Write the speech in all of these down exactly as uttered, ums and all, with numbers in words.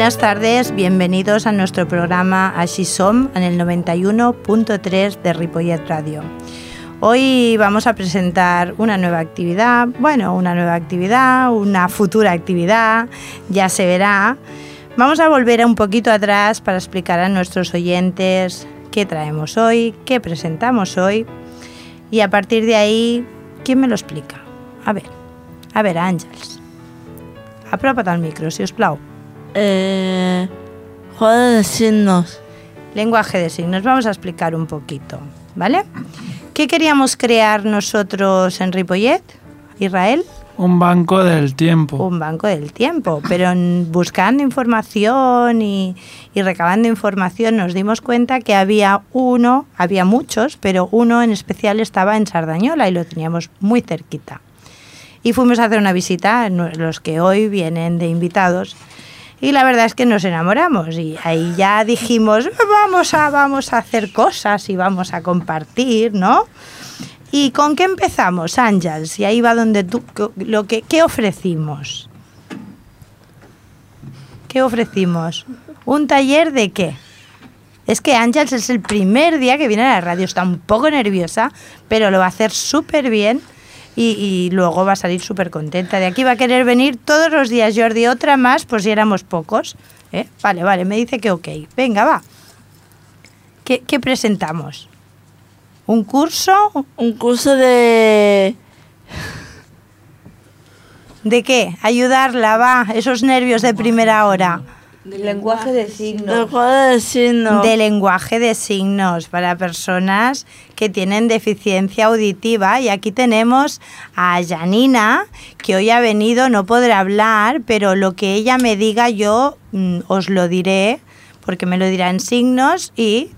Buenas tardes, bienvenidos a nuestro programa Així Som en el noventa y uno punto tres de Ripollet Radio. Hoy vamos a presentar una nueva actividad, bueno, una nueva actividad, una futura actividad, ya se verá. Vamos a volver un poquito atrás para explicar a nuestros oyentes qué traemos hoy, qué presentamos hoy y a partir de ahí, ¿quién me lo explica? A ver, a ver, Àngels. Apropa't al micro, si us plau. Eh, juego de signos. Lenguaje de signos, vamos a explicar un poquito, ¿vale? ¿Qué queríamos crear nosotros en Ripollet, Israel? Un banco del tiempo. Un banco del tiempo, pero buscando información y, y recabando información nos dimos cuenta que había uno, había muchos, pero uno en especial estaba en Sardañola y lo teníamos muy cerquita. Y fuimos a hacer una visita, los que hoy vienen de invitados, y la verdad es que nos enamoramos y ahí ya dijimos, vamos a, vamos a hacer cosas y vamos a compartir, ¿no? ¿Y con qué empezamos, Àngels? Y ahí va donde tú, lo que, ¿qué ofrecimos? ¿Qué ofrecimos? ¿Un taller de qué? Es que Àngels es el primer día que viene a la radio, está un poco nerviosa, pero lo va a hacer súper bien y, y luego va a salir súper contenta. De aquí va a querer venir todos los días, Jordi, otra más, por si éramos pocos. ¿Eh? Vale, vale, me dice que ok. Venga, va. ¿Qué, qué presentamos? ¿Un curso? Un curso de... ¿De qué? Ayudarla, va, esos nervios de primera hora. De lenguaje de signos. De juego de signos. De lenguaje de signos para personas que tienen deficiencia auditiva. Y aquí tenemos a Janina, que hoy ha venido, no podrá hablar, pero lo que ella me diga yo mm, os lo diré, porque me lo dirá en signos y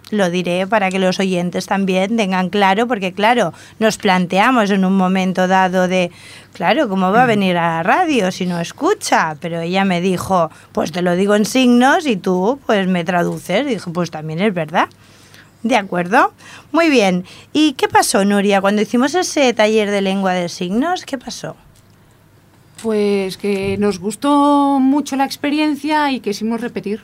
lo diré para que los oyentes también tengan claro, porque claro, nos planteamos en un momento dado de, claro, ¿cómo va a venir a la radio si no escucha? Pero ella me dijo, pues te lo digo en signos y tú pues me traduces. Y dije, pues también es verdad. ¿De acuerdo? Muy bien. ¿Y qué pasó, Nuria, cuando hicimos ese taller de lengua de signos? ¿Qué pasó? Pues que nos gustó mucho la experiencia y quisimos repetir.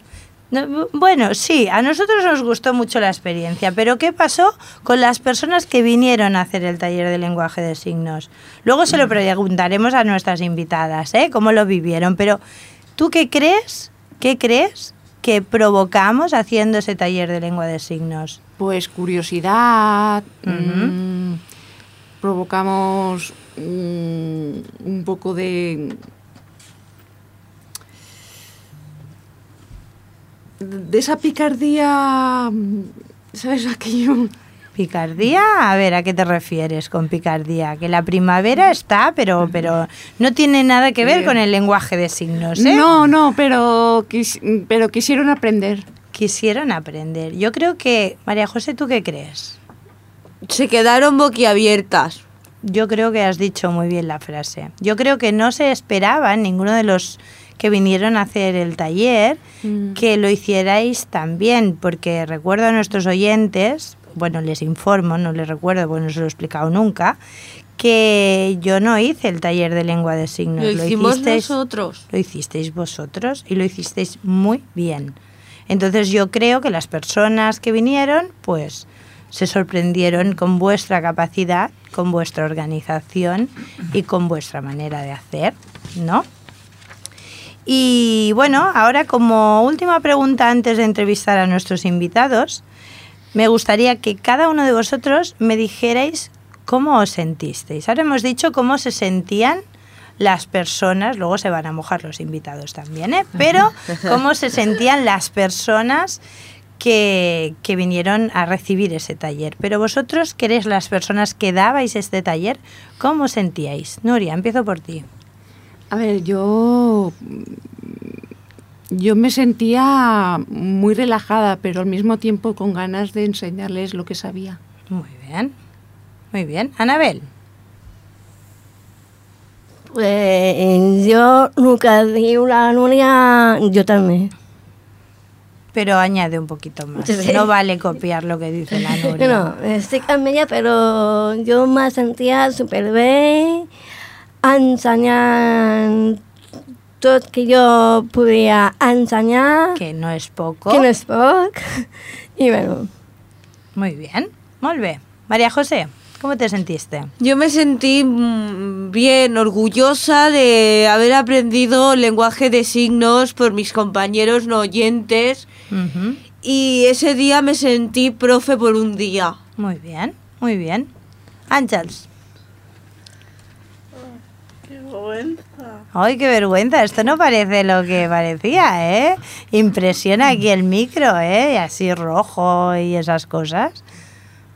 No, bueno, sí, a nosotros nos gustó mucho la experiencia, pero ¿qué pasó con las personas que vinieron a hacer el taller de lenguaje de signos? Luego se lo preguntaremos a nuestras invitadas, ¿eh? Cómo lo vivieron, pero ¿tú qué crees? ¿Qué crees que provocamos haciendo ese taller de lengua de signos? Pues curiosidad, Uh-huh. mmm, provocamos mmm, un poco de... de esa picardía, ¿sabes aquello? ¿Picardía? A ver, ¿a qué te refieres con picardía? Que la primavera está, pero, pero no tiene nada que ver con el lenguaje de signos, ¿eh? No, no, pero, quis, pero quisieron aprender. Quisieron aprender. Yo creo que... María José, ¿tú qué crees? Se quedaron boquiabiertas. Yo creo que has dicho muy bien la frase. Yo creo que no se esperaba ninguno de los que vinieron a hacer el taller mm. que lo hicierais también, porque recuerdo a nuestros oyentes, bueno, les informo, no les recuerdo porque no se lo he explicado nunca, que yo no hice el taller de lengua de signos. Lo hicimos hicisteis, nosotros. Lo hicisteis vosotros y lo hicisteis muy bien. Entonces yo creo que las personas que vinieron, pues se sorprendieron con vuestra capacidad, con vuestra organización y con vuestra manera de hacer, ¿no? Y bueno, ahora como última pregunta antes de entrevistar a nuestros invitados, me gustaría que cada uno de vosotros me dijerais cómo os sentisteis. Ahora hemos dicho cómo se sentían las personas, luego se van a mojar los invitados también, ¿eh? Pero cómo se sentían las personas que, que vinieron a recibir ese taller. Pero vosotros, que eres las personas que dabais este taller, ¿cómo os sentíais? Nuria, empiezo por ti. A ver, yo, yo me sentía muy relajada, pero al mismo tiempo con ganas de enseñarles lo que sabía. Muy bien, muy bien. Anabel. Pues yo nunca digo la Nuria, yo también. Pero añade un poquito más. Sí. No vale copiar lo que dice la Nuria. No, estic amb ella, però jo me sentia superbé ensenyant tot que jo podia ensenyar, Que no és poco. que no és poc. I bueno, Muy bien, muy bien. María José, ¿cómo te sentiste? Yo me sentí mm, bien, orgullosa de haber aprendido lenguaje de signos por mis compañeros no oyentes Ujú. y ese día me sentí profe por un día. Muy bien, muy bien. Ángeles. Qué vergüenza. Ay, qué vergüenza. Esto no parece lo que parecía, ¿eh? Impresiona aquí el micro, ¿eh? Y así rojo y esas cosas.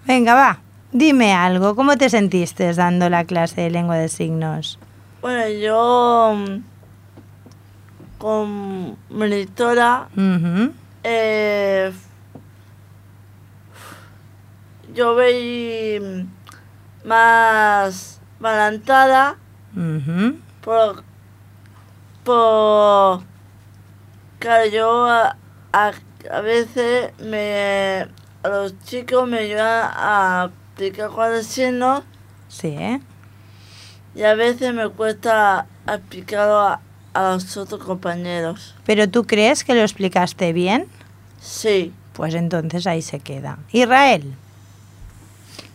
Venga, va. Dime algo. ¿Cómo te sentiste dando la clase de lengua de signos? Bueno, yo mm, con monitora Ujú. eh, yo veí mm, más balanzada Ujú. por, por claro, yo a, a, a veces me a los chicos me ayudan a explicar cuáles signos Sí, ¿eh? y a veces me cuesta explicarlo a, a los otros compañeros. ¿Pero tú crees que lo explicaste bien? Sí. Pues entonces ahí se queda. Israel.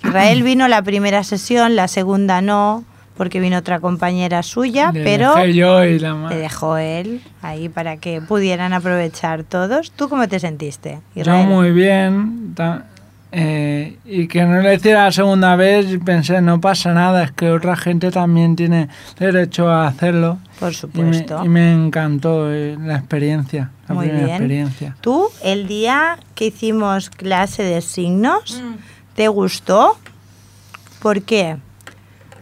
Israel vino la primera sesión, la segunda no, porque vino otra compañera suya, Le pero dejé yo y la ma- le dejó él ahí para que pudieran aprovechar todos. ¿Tú cómo te sentiste, Yo Israel? muy bien. ta- eh, y que no lo hiciera la segunda vez, pensé, no pasa nada, es que otra gente también tiene derecho a hacerlo. Por Y me, supuesto. y me encantó eh, la experiencia, la Muy primera bien. experiencia. ¿Tú, el día que hicimos clase de signos, te gustó? ¿Por qué?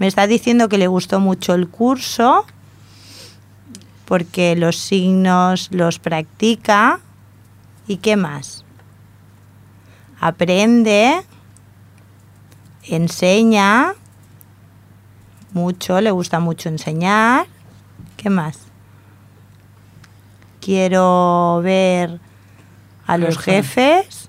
Me está diciendo que le gustó mucho el curso, porque los signos los practica. ¿Y qué más? Aprende, enseña mucho, le gusta mucho enseñar. ¿Qué más? Quiero ver a los Jefe. jefes.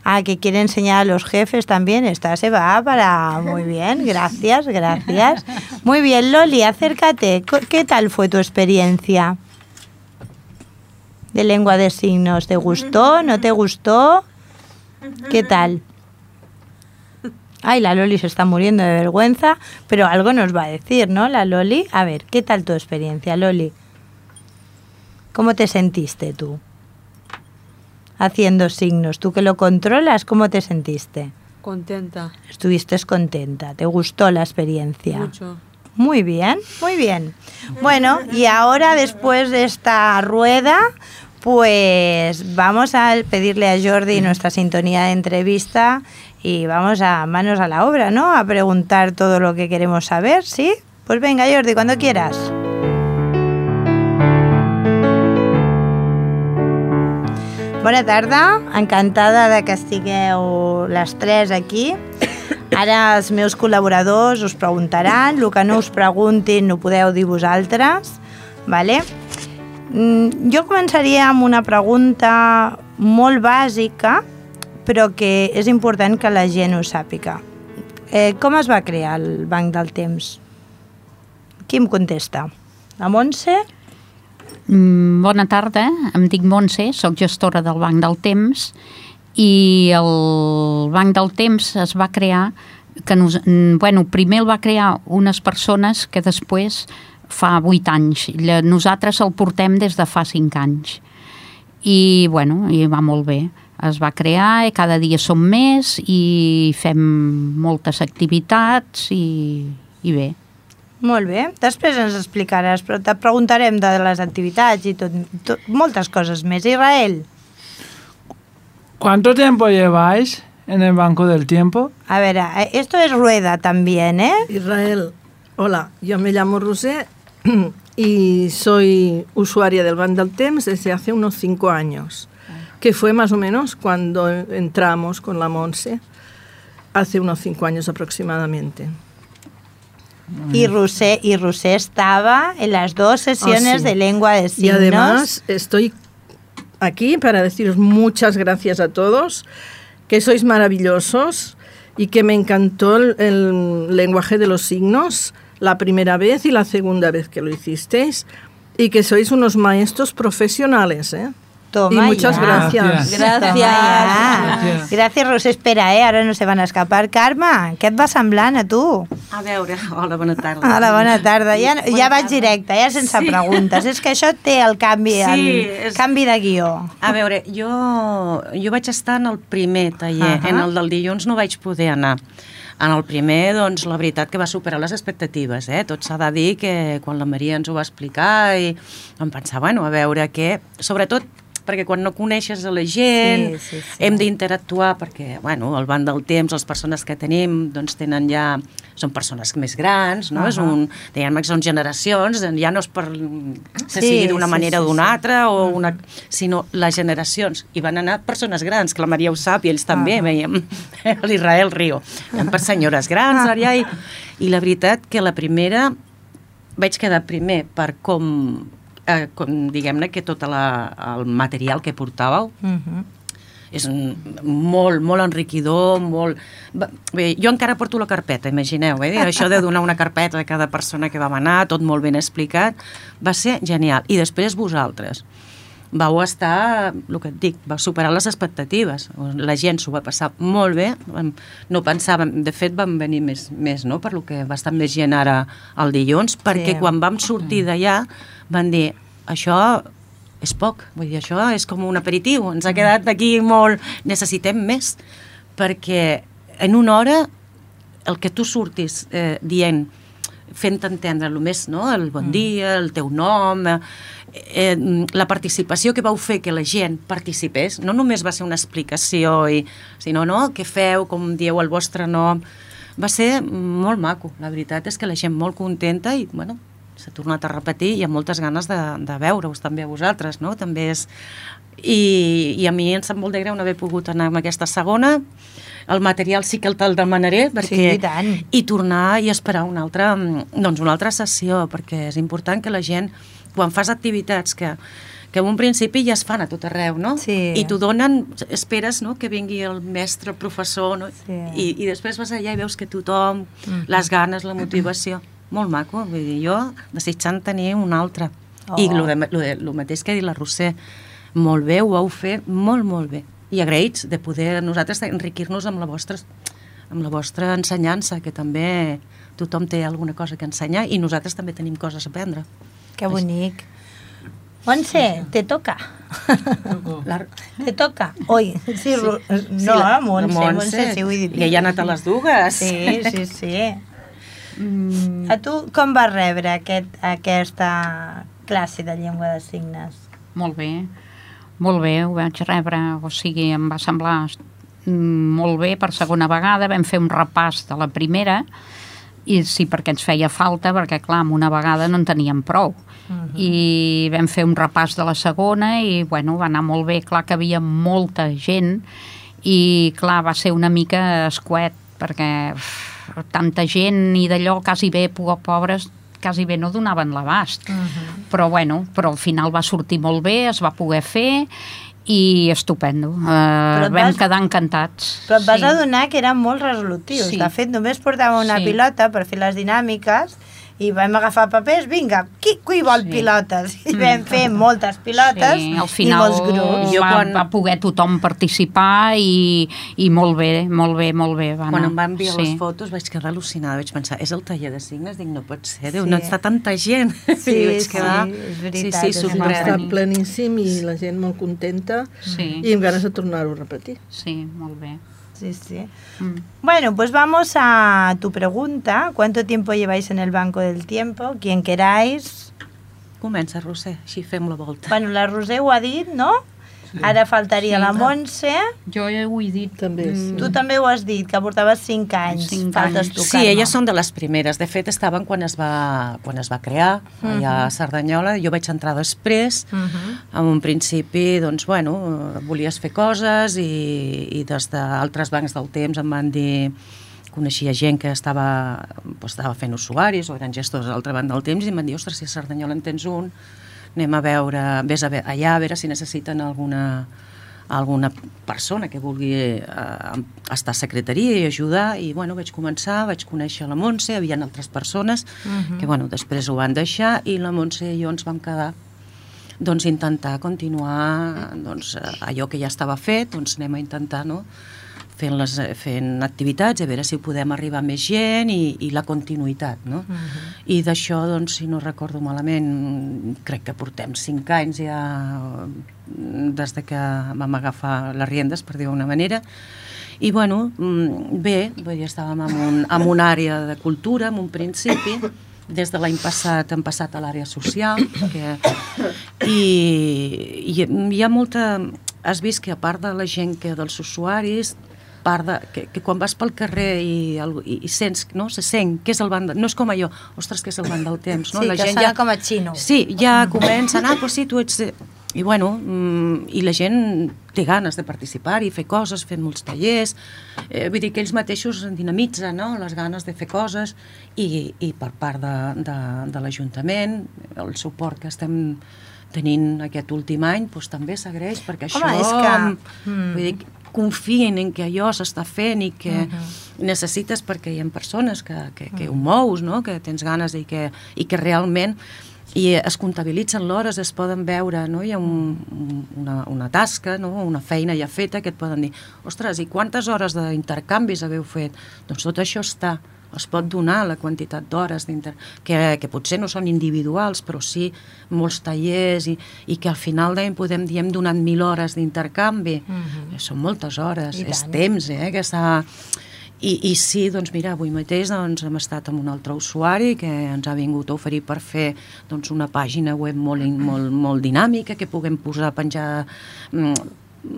Ah, que quiere enseñar a los jefes también. Esta se va para... Muy bien, gracias, gracias. Muy bien, Loli, acércate. Co- ¿Qué tal fue tu experiencia de lengua de signos? ¿Te gustó? ¿No te gustó? ¿Qué tal? Ay, la Loli se está muriendo de vergüenza, pero algo nos va a decir, ¿no, la Loli? A ver, ¿qué tal tu experiencia, Loli? ¿Cómo te sentiste tú haciendo signos? Tú que lo controlas, ¿cómo te sentiste? Contenta, Estuviste contenta, ¿te gustó la experiencia? mucho. Muy bien, muy bien. Bueno, y ahora después de esta rueda, pues vamos a pedirle a Jordi nuestra sintonía de entrevista y vamos a manos a la obra, ¿no? A preguntar todo lo que queremos saber, ¿sí? Pues venga, Jordi, cuando quieras. Bona tarda, encantada de que estigueu les tres aquí. Ara els meus col·laboradors us preguntaran, el que no us preguntin ho podeu dir vosaltres, vale? Mm, Jo començaria amb una pregunta molt bàsica, però que és important que la gent ho sàpiga. Eh, com es va crear el Banc del Temps? Qui em contesta? La Montse? Mm, Bona tarda, em dic Montse, sóc gestora del Banc del Temps i el Banc del Temps es va crear, que nos, mm, bueno, primer el va crear unes persones que després fa vuit anys. Lla- Nosaltres el portem des de fa cinc anys. I, bueno, i va molt bé. Es va crear i cada dia som més i fem moltes activitats i, i bé. Molt bé, després ens explicaràs, però te preguntarem de les activitats i tot, tot, moltes coses més. Israel, ¿Cuánto tiempo lleváis en el Banco del Tiempo? a ver, eh, esto es rueda también, ¿eh? Israel, hola, yo me llamo Rosé y soy usuaria del Banc del Temps desde hace unos cinco años, que fue más o menos cuando entramos con la Montse, hace unos cinco años aproximadamente. Y Rusé, y Rusé estaba en las dos sesiones Ah, sí. de lengua de Y signos. además estoy aquí para deciros muchas gracias a todos, que sois maravillosos y que me encantó el, el lenguaje de los signos la primera vez y la segunda vez que lo hicisteis. y que sois unos maestros profesionales, ¿eh? Toma y muchas ya. gracias. Gràcies. Gràcies. Gràcies, Roser. Espera, eh? Ara no se van a escapar. Carme, què et va semblant a tu? A veure, hola, bona tarda. Hola, bona tarda. Ja, Bona ja vaig tarda. directe, ja sense Sí. preguntes. És que això té el canvi, Sí, el és- canvi de guió. A veure, jo, jo vaig estar en el primer taller, Ahà. en el del dilluns no vaig poder anar. En el primer, doncs, la veritat que va superar les expectatives, eh? Tot s'ha de dir que quan la Maria ens ho va explicar i vam pensar, bueno, a veure què... Sobretot perquè quan no coneixes a la gent, Sí, sí, sí. hem d'interactuar perquè, bueno, al banc del temps, les persones que tenim, doncs tenen ja... Són persones més grans, no? Ahà. És un, diguem que són generacions, ja no és per se Sí, sigui d'una sí, manera sí, o d'una sí. altra, o una, sinó les generacions. I van anar persones grans, que la Maria ho sap, i ells també, Ah. veiem l'Israel Rio. Eren per senyores grans, allà, i, i la veritat que la primera vaig quedar primer per com, eh, com diguem-ne, que tot la, el material que portàveu Mhm. és un, molt, molt enriquidor, molt... Va- Bé, jo encara porto la carpeta, imagineu, eh? Això de donar una carpeta a cada persona que vam anar, tot molt ben explicat, va ser genial. I després vosaltres vau estar, el que et dic, va superar les expectatives. La gent s'ho va passar molt bé, vam- no pensàvem, de fet vam venir més, més no?, per lo que va estar més gent ara el dilluns, perquè quan vam sortir d'allà van dir, això és poc, vull dir, això és com un aperitiu, ens ha quedat aquí molt... Necessitem més, perquè en una hora el que tu surtis eh, dient, fent entendre el més, no?, el bon dia, el teu nom, eh, eh, la participació que vau fer que la gent participés, no només va ser una explicació, i, sinó, no?, què feu, com dieu el vostre nom, va ser molt maco, la veritat és que la gent molt contenta i, bueno, s'ha tornat a repetir i amb moltes ganes de, de veure-us també a vosaltres, no?, també és... I, i a mi em sap molt de greu no haver pogut anar amb aquesta segona, el material sí que el te'l demanaré perquè, Sí, i tant. i tornar i esperar una altra, doncs una altra sessió, perquè és important que la gent, quan fas activitats que, que en un principi ja es fan a tot arreu, no? Sí. I t'ho donen, esperes, no?, que vingui el mestre, el professor, no? Sí. I, i després vas allà i veus que tothom, mm. les ganes, la motivació, molt maco, vull dir, jo desitjant tenir un altre. Oh. I el, de, lo, de, lo mateix que ha dit la Roser, molt bé, ho vau fer molt, molt bé. I agraïts de poder nosaltres enriquir-nos amb la vostra, amb la vostra ensenyança, que també tothom té alguna cosa que ensenyar i nosaltres també tenim coses a aprendre. Que bonic. Montse, te toca. La, Te toca. Oi, sí, Ru- no, la- Montse, la Montse, sí, ho he dit. Que ja ha anat a les dues. Sí, sí, sí. Mm. A tu com vas rebre aquest, aquesta classe de llengua de signes? Molt bé, molt bé, ho vaig rebre, o sigui, em va semblar mm, molt bé per segona vegada, vam fer un repàs de la primera, i sí, perquè ens feia falta, perquè clar, amb una vegada no en teníem prou. Uh-huh. I vam fer un repàs de la segona i, bueno, va anar molt bé, clar que havia molta gent i, clar, va ser una mica escuet, perquè uf, tanta gent i d'allò quasi bé, pobres, quasi bé no donaven l'abast. Uh-huh. Però, bueno, però al final va sortir molt bé, es va poder fer i estupendo. Uh, vam vas, quedar encantats. Però et vas sí. adonar que eren molt resolutius. Sí. De fet, només portàvem una Sí. pilota per fer les dinàmiques i vam agafar papers, vinga, qui, qui vol Sí. pilotes? I vam fer moltes pilotes Sí, al i final molts grups. Jo va, quan- va poder tothom participar i, i molt bé, molt bé, molt bé. Va Quan anar. em va enviar sí. les fotos vaig quedar al·lucinada, vaig pensar, és el taller de signes? Dic, no pot ser, Déu, Sí. no està tanta gent. Sí, I vaig sí, quedar... és veritat, Sí, és sí, Va sorprès. estar pleníssim i la gent molt contenta Sí. i amb ganes de tornar-ho a repetir. Sí, molt bé. Sí, sí. Mm. Bueno, pues vamos a tu pregunta. ¿Cuánto tiempo lleváis en el banco del tiempo? Quien queráis. Comença, Roser, així fem la volta. Bueno, la Roser ho ha dit, no? Ara faltaria Sí. la Montse. Jo ja ho he dit. També, sí. Tu també ho has dit, que portaves cinc anys. Cinc Faltes anys. tu, Sí, Carme. elles són de les primeres. De fet, estaven quan es va, quan es va crear, allà a Cerdanyola. Jo vaig entrar després. Mhm. En un principi, doncs, bueno, volies fer coses i, i des d'altres bancs del temps em van dir... Coneixia gent que estava, doncs, estava fent usuaris o eren gestors a l'altra banda del temps i em van dir, ostres, si a Cerdanyola en tens un, anem a veure, vés a veure, allà a veure si necessiten alguna, alguna persona que vulgui eh, estar a secretaria i ajudar, i bueno, vaig començar, vaig conèixer la Montse, hi havia altres persones uh-huh. que bueno, després ho van deixar, i la Montse i jo ens vam quedar doncs intentar continuar doncs, allò que ja estava fet, doncs anem a intentar, no?, fent, les, fent activitats, a veure si podem arribar a més gent i, i la continuïtat, no? Uh-huh. I d'això, doncs, si no recordo malament, crec que portem cinc anys ja des de que vam agafar les riendes, per dir-ho d'una manera. I, bueno, bé, vull dir, estàvem en, un, en una àrea de cultura, en un principi, des de l'any passat hem passat a l'àrea social, que, i, i hi ha molta... Has vist que a part de la gent que dels usuaris, part de, que, que quan vas pel carrer i, i, i sents, no? Se sent què és el banc, de, no és com allò, ostres, què és el banc del temps, no? Sí, La que gent sona ja, com a xino. Sí, ja comencen, ah, pues sí, tu ets... I bueno, i la gent té ganes de participar i fer coses, fent molts tallers, eh, vull dir que ells mateixos dinamitzen, no?, les ganes de fer coses, i, i per part de, de, de l'Ajuntament, el suport que estem tenint aquest últim any, doncs també s'agraeix, perquè això... Home, és que... Vull dir, confien en que allò s'està fent i que uh-huh. necessites, perquè hi ha persones que, que, que ho mous, no?, que tens ganes i que, i que realment i es comptabilitzen l'hores, es poden veure, no?, hi ha un, una, una tasca, no?, una feina ja feta que et poden dir, ostres, i quantes hores d'intercanvis haveu fet? Doncs tot això està, es pot donar la quantitat d'hores que, que potser no són individuals, però sí molts tallers, i, i que al final d'any podem dir hem donat mil hores d'intercanvi. Uh-huh. Són moltes hores, I és tant. Temps, eh, que s'ha... I, I sí, doncs mira, avui mateix doncs, hem estat amb un altre usuari que ens ha vingut a oferir per fer doncs, una pàgina web molt, molt, molt dinàmica, que puguem posar, penjar mm,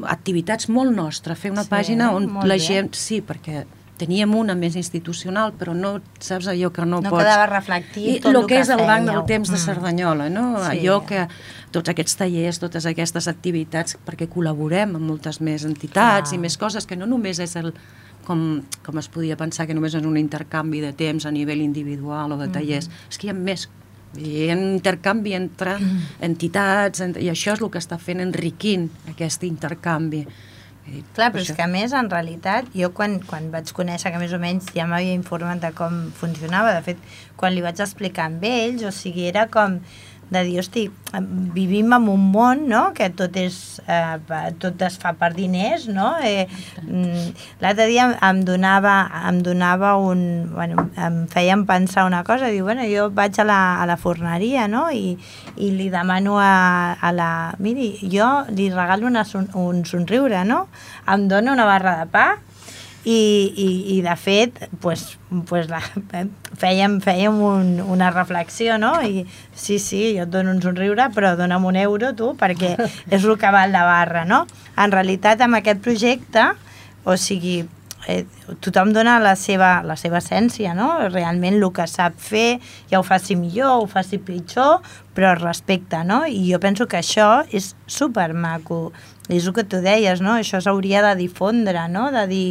activitats molt nostres, fer una sí, pàgina on la bé. gent... Sí, perquè teníem una més institucional, però no saps allò que no, no pots... No quedava reflectit tot el el que, que és el fèieu. Banc del Temps de Cerdanyola, no? Sí. Allò que tots aquests tallers, totes aquestes activitats, perquè col·laborem amb moltes més entitats Clar. I més coses, que no només és el... Com, com es podia pensar que només és un intercanvi de temps a nivell individual o de tallers, mm-hmm. és que hi ha més, hi ha un intercanvi entre entitats, i això és el que està fent enriquint aquest intercanvi. Clar, però és que a més, en realitat, jo quan, quan vaig conèixer que més o menys ja m'havia informat de com funcionava, de fet, quan li vaig explicar amb ells, o sigui, era com de dir, hosti, vivim en un món, no?, que tot és, eh, tot es fa per diners, no? Eh, L'altre dia em donava, em donava un... Bueno, em feien pensar una cosa, diu, bueno, jo vaig a la, a la forneria, no?, i, i li demano a, a la... Miri, jo li regalo una, un somriure, no?, em dona una barra de pa, I, i, i de fet pues, pues la, fèiem, fèiem un, una reflexió, no? I sí, sí, jo et dono un somriure, però dona'm un euro tu, perquè és el que val la barra, no? En realitat, amb aquest projecte, o sigui, eh, tothom dona la seva, la seva essència, no? Realment el que sap fer, ja ho faci millor, ho faci pitjor, però respecte, no? I jo penso que això és supermaco. És el que tu deies, no? Això s'hauria de difondre, no? De dir...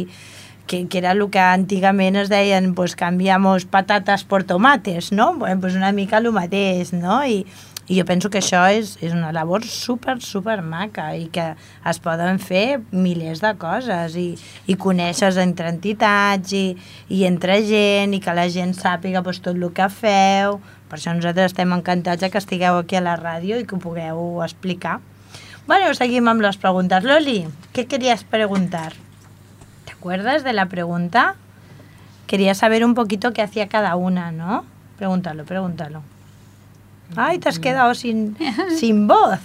Que, que era el que antigament es deien pues cambiamos patates por tomates, no? Bueno, pues una mica el mateix, no? I, i jo penso que això és, és una labor super, super maca i que es poden fer milers de coses i, i conèixer entre entitats i, i entre gent i que la gent sàpiga pues, tot el que feu. Per això nosaltres estem encantats que estigueu aquí a la ràdio i que ho pugueu explicar. Bueno, seguim amb les preguntes. Loli, què querías preguntar? ¿Te acuerdas de la pregunta? Quería saber un poquito qué hacía cada una, ¿no? Pregúntalo, pregúntalo. Ay, te has quedado sin, sin voz.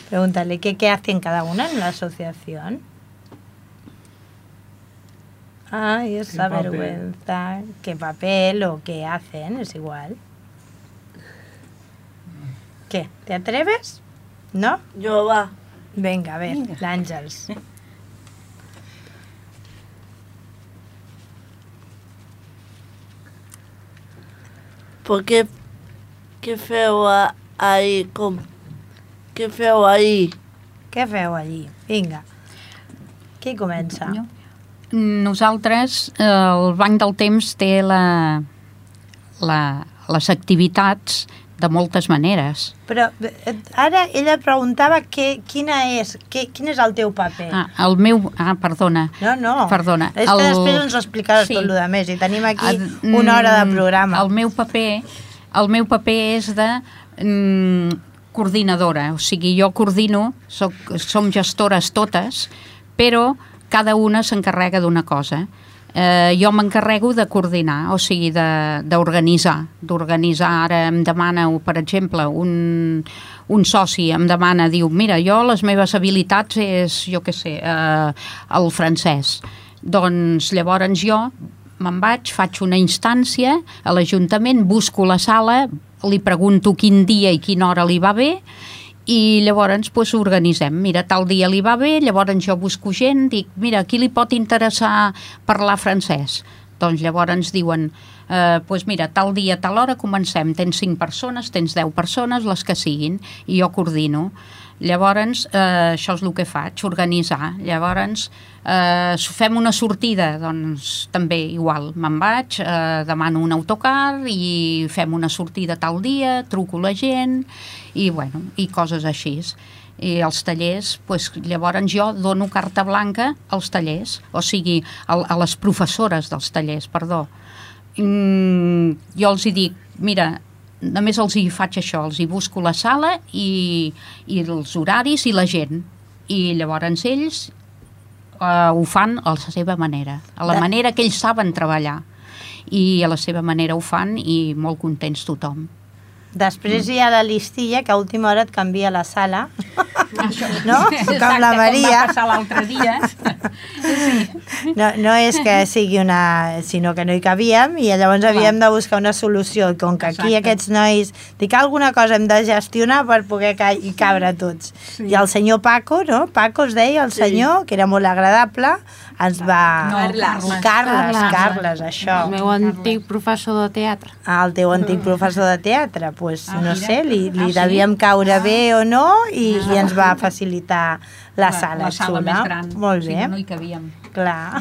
Pregúntale, ¿qué, ¿qué hacen cada una en la asociación? Ay, esa ¿Qué vergüenza. ¿Qué papel o qué hacen? Es igual. ¿Qué? ¿Te atreves? ¿No? Yo va. Venga, a ver, l'Àngels. ¿Por qué, qué feu a- ahí? Com, què feu ahí? Què feu allí? Vinga. Qui comença? Jo. Nosaltres, eh, el Banc del Temps té la, la, les activitats de moltes maneres. Però eh, ara ella preguntava que, quina és, que, quin és el teu paper. Ah, el meu... Ah, perdona. No, no. Perdona. És que el... després ens explicaràs Sí. tot el que més i tenim aquí El- una hora de programa. El meu paper, el meu paper és de mm, coordinadora, o sigui, jo coordino, soc, som gestores totes, però cada una s'encarrega d'una cosa. Eh, jo m'encarrego de coordinar, o sigui, de- d'organitzar. D'organitzar, ara em demana, per exemple, un, un soci em demana, diu, mira, jo les meves habilitats és, jo què sé, eh, el francès. Doncs llavors jo me'n vaig, faig una instància a l'Ajuntament, busco la sala, li pregunto quin dia i quina hora li va bé i llavors pues, organitzem. Mira, tal dia li va bé, llavors jo busco gent, dic, mira, a qui li pot interessar parlar francès? Doncs llavors ens diuen, eh, pues mira, tal dia, tal hora comencem, tens cinc persones, tens deu persones, les que siguin, i jo coordino. Llavors, eh, això és el que faig, organitzar. Llavors, eh, fem una sortida, doncs també igual, me'n vaig, eh, demano un autocar i fem una sortida tal dia, truco la gent i, bueno, i coses així. I els tallers, pues, llavors jo dono carta blanca als tallers, o sigui, a, a les professores dels tallers, perdó. Mm, jo els hi dic, mira, només els hi faig això, els hi busco la sala i, i els horaris i la gent. I llavors ells uh, ho fan a la seva manera, a la manera que ells saben treballar. I a la seva manera ho fan i molt contents tothom. Després hi ha la listilla que a última hora et canvia la sala, no? Com la Maria. Com va passar l'altre dia. No, no és que sigui una... sinó que no hi cabíem i llavors havíem de buscar una solució. Com que aquí Exacte. aquests nois... Dic, alguna cosa hem de gestionar per poder ca hi cabre tots. I el senyor Paco, no? Paco es deia el senyor, que era molt agradable, ens va... No, Carles. Carles, Carles, això. El meu antic professor de teatre. Ah, el teu antic professor de teatre, pues, Ah, no mira. sé, li, li Ah, sí? devíem caure bé o no i, i ens va facilitar la sala, la sala xula. més gran. Molt bé, Si no, no hi cabíem. clar.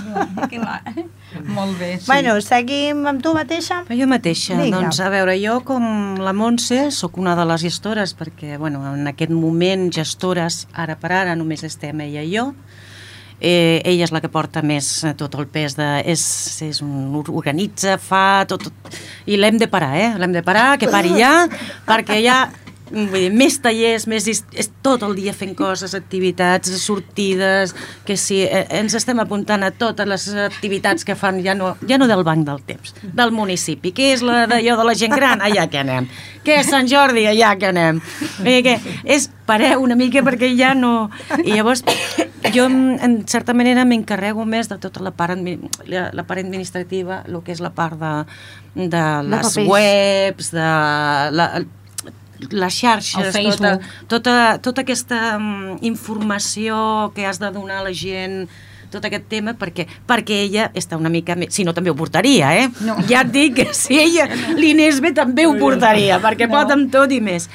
Clar. Molt bé, sí. Bueno, seguim amb tu mateixa? Jo mateixa, Vinga. doncs a veure, jo com la Montse sóc una de les gestores perquè, bueno, en aquest moment gestores, ara per ara només estem ella i jo. Eh, ella és la que porta més eh, tot el pes de... És, és un, organitza, fa tot, tot i l'hem de parar, eh? L'hem de parar, que pari ja, perquè ja vull dir, més tallers, més, és tot el dia fent coses, activitats, sortides, que sí, eh, ens estem apuntant a totes les activitats que fan, ja no, ja no del Banc del Temps, del municipi, que és la d'allò de la gent gran, allà que anem, que és Sant Jordi, allà que anem, eh, que és, pareu una mica perquè ja no... I llavors, jo en certa manera m'encarrego més de tota la part, admi la, la part administrativa, el que és la part de, de les papers. webs, de la, les xarxes, El tota, Facebook. tota, tota aquesta um, informació que has de donar a la gent, tot aquest tema, perquè, perquè ella està una mica més... Si no, també ho portaria, eh? No. Ja et dic que si ella li anés bé, també ho portaria, perquè No. pot amb tot i més.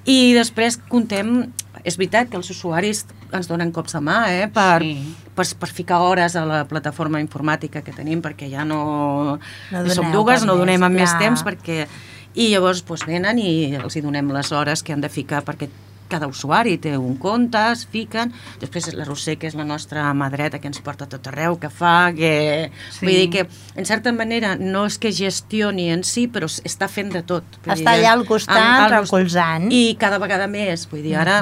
I després contem... És veritat que els usuaris ens donen cops de mà, eh? Per, Sí. per, per ficar hores a la plataforma informàtica que tenim, perquè ja no... No som doneu dues, per no més, donem amb més clar. temps, perquè... I llavors doncs, venen i els hi donem les hores que han de ficar, perquè cada usuari té un compte, es fiquen, després la Roser, que és la nostra mà dreta, que ens porta a tot arreu, que fa, que... Sí. Vull dir que, en certa manera, no és que gestioni en si, però està fent de tot. Vull Està dir, allà al costat, amb- al- recolzant. I cada vegada més, vull dir, ara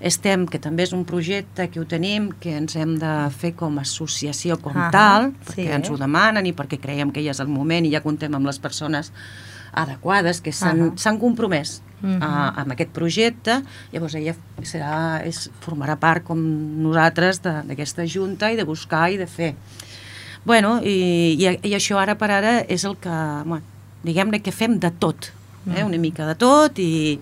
estem, que també és un projecte que ho tenim, que ens hem de fer com a associació com Ah, tal, sí. perquè ens ho demanen i perquè creiem que ja és el moment i ja contem amb les persones adequades que s'han Ah. s'han compromès Mhm. a, amb aquest projecte. Llavors ella serà, és, formarà part com nosaltres de- d'aquesta junta i de buscar i de fer. Bueno, i, i, i això ara per ara és el que, bueno, diguem-ne que fem de tot, eh? Una mica de tot i,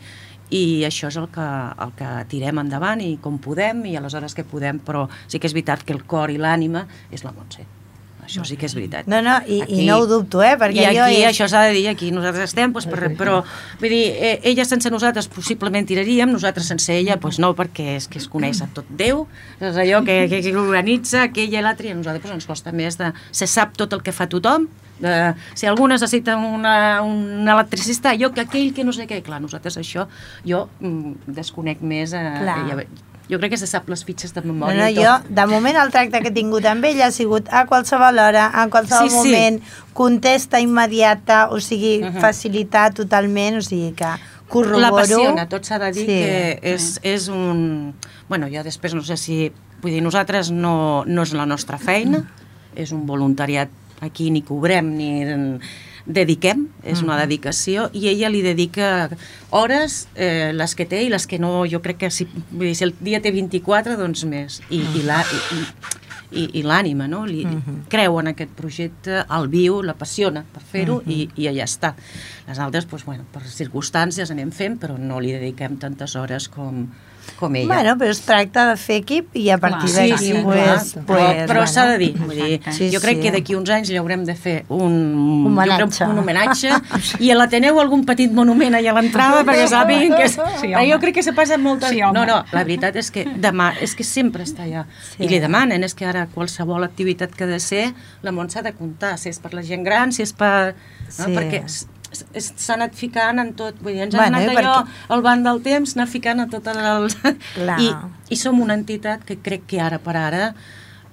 i això és el que, el que tirem endavant i com podem i a les hores que podem, però sí que és veritat que el cor i l'ànima és la Montse. Això sí que és veritat. No, no, i, Aquí- i no ho dubto, eh? Perquè I aquí, jo... És... això s'ha de dir, aquí nosaltres estem, doncs, per, però, vull dir, eh, ella sense nosaltres possiblement tiraríem, nosaltres sense ella, doncs no, perquè és que es coneix a tot Déu, és allò que, que, que organitza, que ella i l'altre, i a nosaltres doncs, ens costa més de... Se sap tot el que fa tothom, de, si algú necessita una, un electricista, jo que aquell que no sé què, clar, nosaltres això, jo mm, desconec més, eh, ja, jo crec que se sap les fitxes de memòria no, no, i tot. Jo, de moment, el tracte que he tingut amb ell ha sigut a qualsevol hora, a qualsevol sí, sí. moment, contesta immediata, o sigui, uh -huh. facilitar totalment, o sigui que corroboro... L'apassiona, tot s'ha de dir sí. que és, és un... Bueno, jo després no sé si... Vull dir, nosaltres no, no és la nostra feina, és un voluntariat aquí, ni cobrem, ni dediquem, és una dedicació, i ella li dedica hores, eh, les que té i les que no, jo crec que si, vull dir, si el dia té vint-i-quatre, doncs més, i, i la... I, i, i l'ànima, no? Li, uh-huh. creu en aquest projecte, el viu, l'apassiona per fer-ho uh-huh. i, i allà està. Les altres, doncs, bueno, per circumstàncies anem fent, però no li dediquem tantes hores com, com ella. Bueno, però es tracta de fer equip i a partir sí, d'aquí... sí, pues, clar. pues, però però bueno. s'ha de dir, vull dir sí, jo crec sí. que d'aquí uns anys li haurem de fer un homenatge, un homenatge i a l'Ateneu algun petit monument allà a l'entrada perquè sàpiguen que... És, sí, jo crec que se passa moltes... Sí, no, no, la veritat és que demà, és que sempre està allà. Sí. I li demanen, és que ara qualsevol activitat que ha de ser, la Mont s'ha de comptar, si és per la gent gran, si és per... Sí. No? Perquè s'ha anat ficant en tot, vull dir, ens bueno, ha anat allò, perquè... al banc del temps, anar ficant a tot el... I, I som una entitat que crec que ara per ara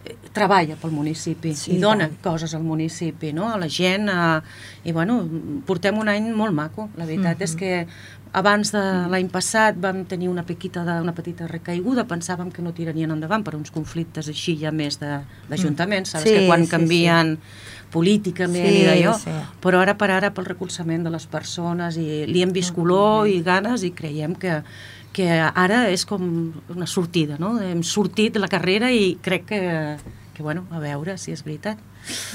eh, treballa pel municipi sí, i dona tant. Coses al municipi, no? A la gent, a... i bueno, portem un any molt maco, la veritat mm-hmm. és que abans de l'any passat vam tenir una, pequita de, una petita recaiguda, pensàvem que no tirarien endavant per uns conflictes així ja més d'ajuntaments, saps sí, que quan canvien... Sí, sí. políticament sí, i d'allò, sí. però ara per ara pel recolzament de les persones i li hem vist color i ganes i creiem que, que ara és com una sortida, no? Hem sortit de la carrera i crec que, que bueno, a veure si és veritat.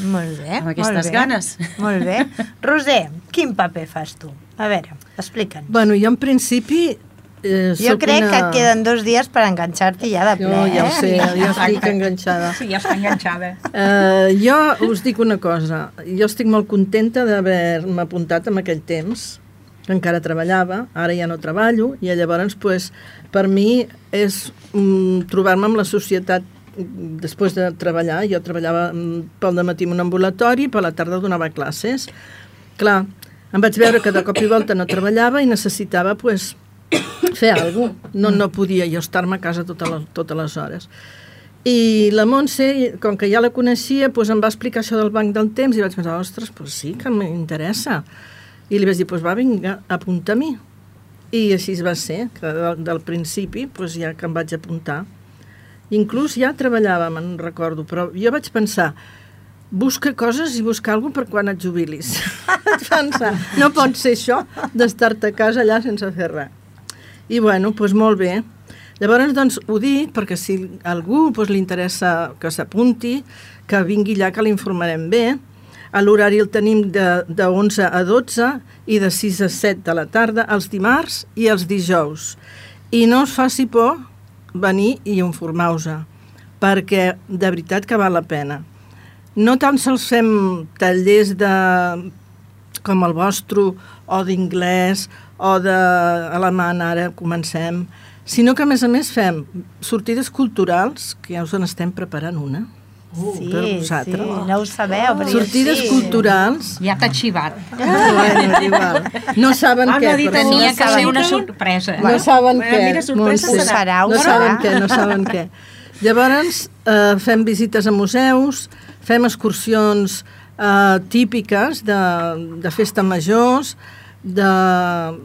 Molt bé, amb aquestes molt bé, ganes. Molt bé. Roser, quin paper fas tu? A veure, explica'ns. Bueno, jo en principi Eh, jo crec una... que et queden dos dies per enganxar-te ja de ple. No, ja ho sé, eh? jo estic enganxada. Sí, ja està enganxada. Eh, jo us dic una cosa, jo estic molt contenta d'haver-me apuntat en aquell temps, que encara treballava, ara ja no treballo, i llavors, pues, per mi és um, trobar-me amb la societat després de treballar. Jo treballava pel dematí en un ambulatori, per la tarda donava classes. Clar, em vaig veure que de cop i volta no treballava i necessitava, pues, fer alguna cosa. No, no podia jo estar-me a casa totes les, totes les hores. I la Montse, com que ja la coneixia, doncs em va explicar això del banc del temps i vaig pensar, ostres, doncs sí, que m'interessa. I li vaig dir, doncs va, vinga, apunta a mi. I així va ser, que del, del principi, doncs ja que em vaig apuntar. Inclús ja treballàvem, en recordo, però jo vaig pensar, busca coses i busca alguna cosa per quan et jubilis. Vaig pensar, no pot ser això d'estar-te a casa allà sense fer res. I bueno, doncs molt bé. Llavors, doncs, ho dic perquè si a algú doncs, li interessa que s'apunti, que vingui allà, que l'informarem bé. A l'horari el tenim de, de onze a dotze i de sis a set de la tarda, els dimarts i els dijous. I no us faci por venir i informar-vos, perquè de veritat que val la pena. No tan sols fem tallers de, com el vostre, o d'inglès, o d'alemany, ara comencem, sinó que a més a més fem sortides culturals, que ja us en estem preparant una, uh, sí, per vosaltres. Sí, no ho sabeu, però sortides sí. culturals. Ja t'ha xivat. Ah, bueno, igual. No saben què, però tenia que ser una sorpresa. No saben què. Mira, sorpresa Montse. serà, ho no serà. saben què, no saben què. Llavors, eh, fem visites a museus, fem excursions eh, típiques de, de festa majors, de,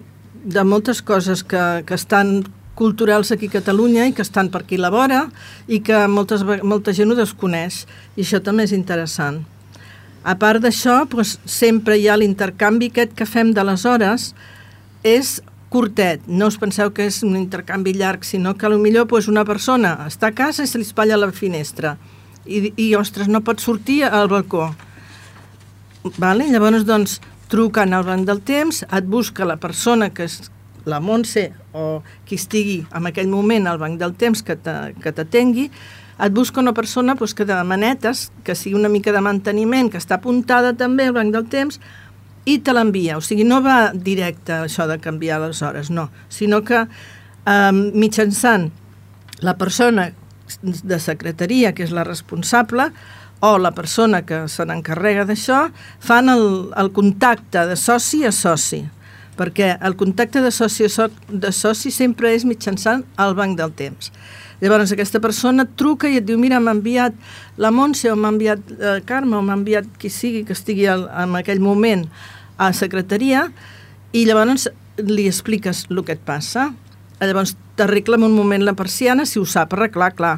de moltes coses que, que estan culturals aquí a Catalunya i que estan per aquí a la vora i que moltes, molta gent ho desconeix, i això també és interessant. A part d'això, doncs, sempre hi ha l'intercanvi aquest que fem de les hores, és curtet, no us penseu que és un intercanvi llarg, sinó que potser doncs, una persona està a casa i se li espatlla a la finestra i, i ostres, no pot sortir al balcó. Vale? Llavors, doncs, truquen al banc del temps, et busca la persona que és la Montse o qui estigui en aquell moment al banc del temps que t'atengui, et busca una persona doncs, que de manetes, que sigui una mica de manteniment, que està apuntada també al banc del temps, i te l'envia. O sigui, no va directe això de canviar les hores, no, sinó que eh, mitjançant la persona de secretaria, que és la responsable, o la persona que se n'encarrega d'això fan el, el contacte de soci a soci, perquè el contacte de soci a so, de soci sempre és mitjançant el banc del temps. Llavors aquesta persona et truca i et diu mira, m'ha enviat la Montse o m'ha enviat eh, Carme o m'ha enviat qui sigui que estigui al, en aquell moment a secretaria, i llavors li expliques el que et passa. Llavors t'arregla en un moment la persiana si ho sap arreglar, clar.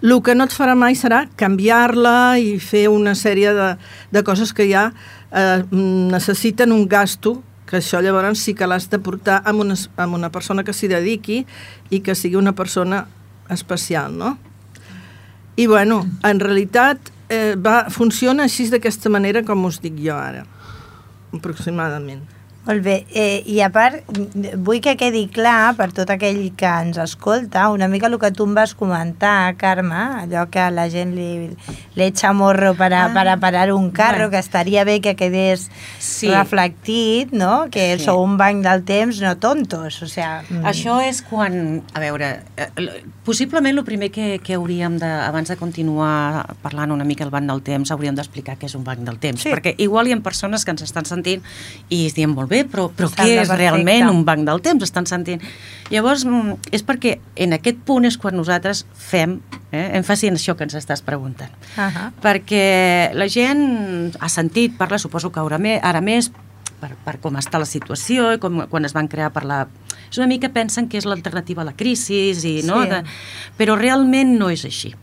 El que no et farà mai serà canviar-la i fer una sèrie de, de coses que ja eh, necessiten un gasto, que això llavors sí que l'has de portar amb una, amb una persona que s'hi dediqui i que sigui una persona especial, no? I bueno, en realitat eh, va, funciona així d'aquesta manera com us dic jo ara, aproximadament. Molt bé, eh, i a part vull que quedi clar per tot aquell que ens escolta una mica el que tu em vas comentar, Carme, allò que a la gent li, li echa morro per a, ah, per a parar un carro, bueno, que estaria bé que quedés sí. reflectit, no? Que sí. sou un banc del temps, no tontos, o sea... Mm. Això és quan, a veure, eh, possiblement el primer que, que hauríem de, abans de continuar parlant una mica del banc del temps, hauríem d'explicar què és un banc del temps, sí. perquè igual hi ha persones que ens estan sentint i es diuen molt bé, però, però què és perfecte. Realment un banc del temps? Estan sentint. Llavors, és perquè en aquest punt és quan nosaltres fem eh, èmfasi en això que ens estàs preguntant. Uh-huh. Perquè la gent ha sentit, parla, suposo que ara, me, ara més, per, per com està la situació i com, quan es van crear per la... És una mica pensen que és l'alternativa a la crisi, i, no? Sí. De, però realment no és així.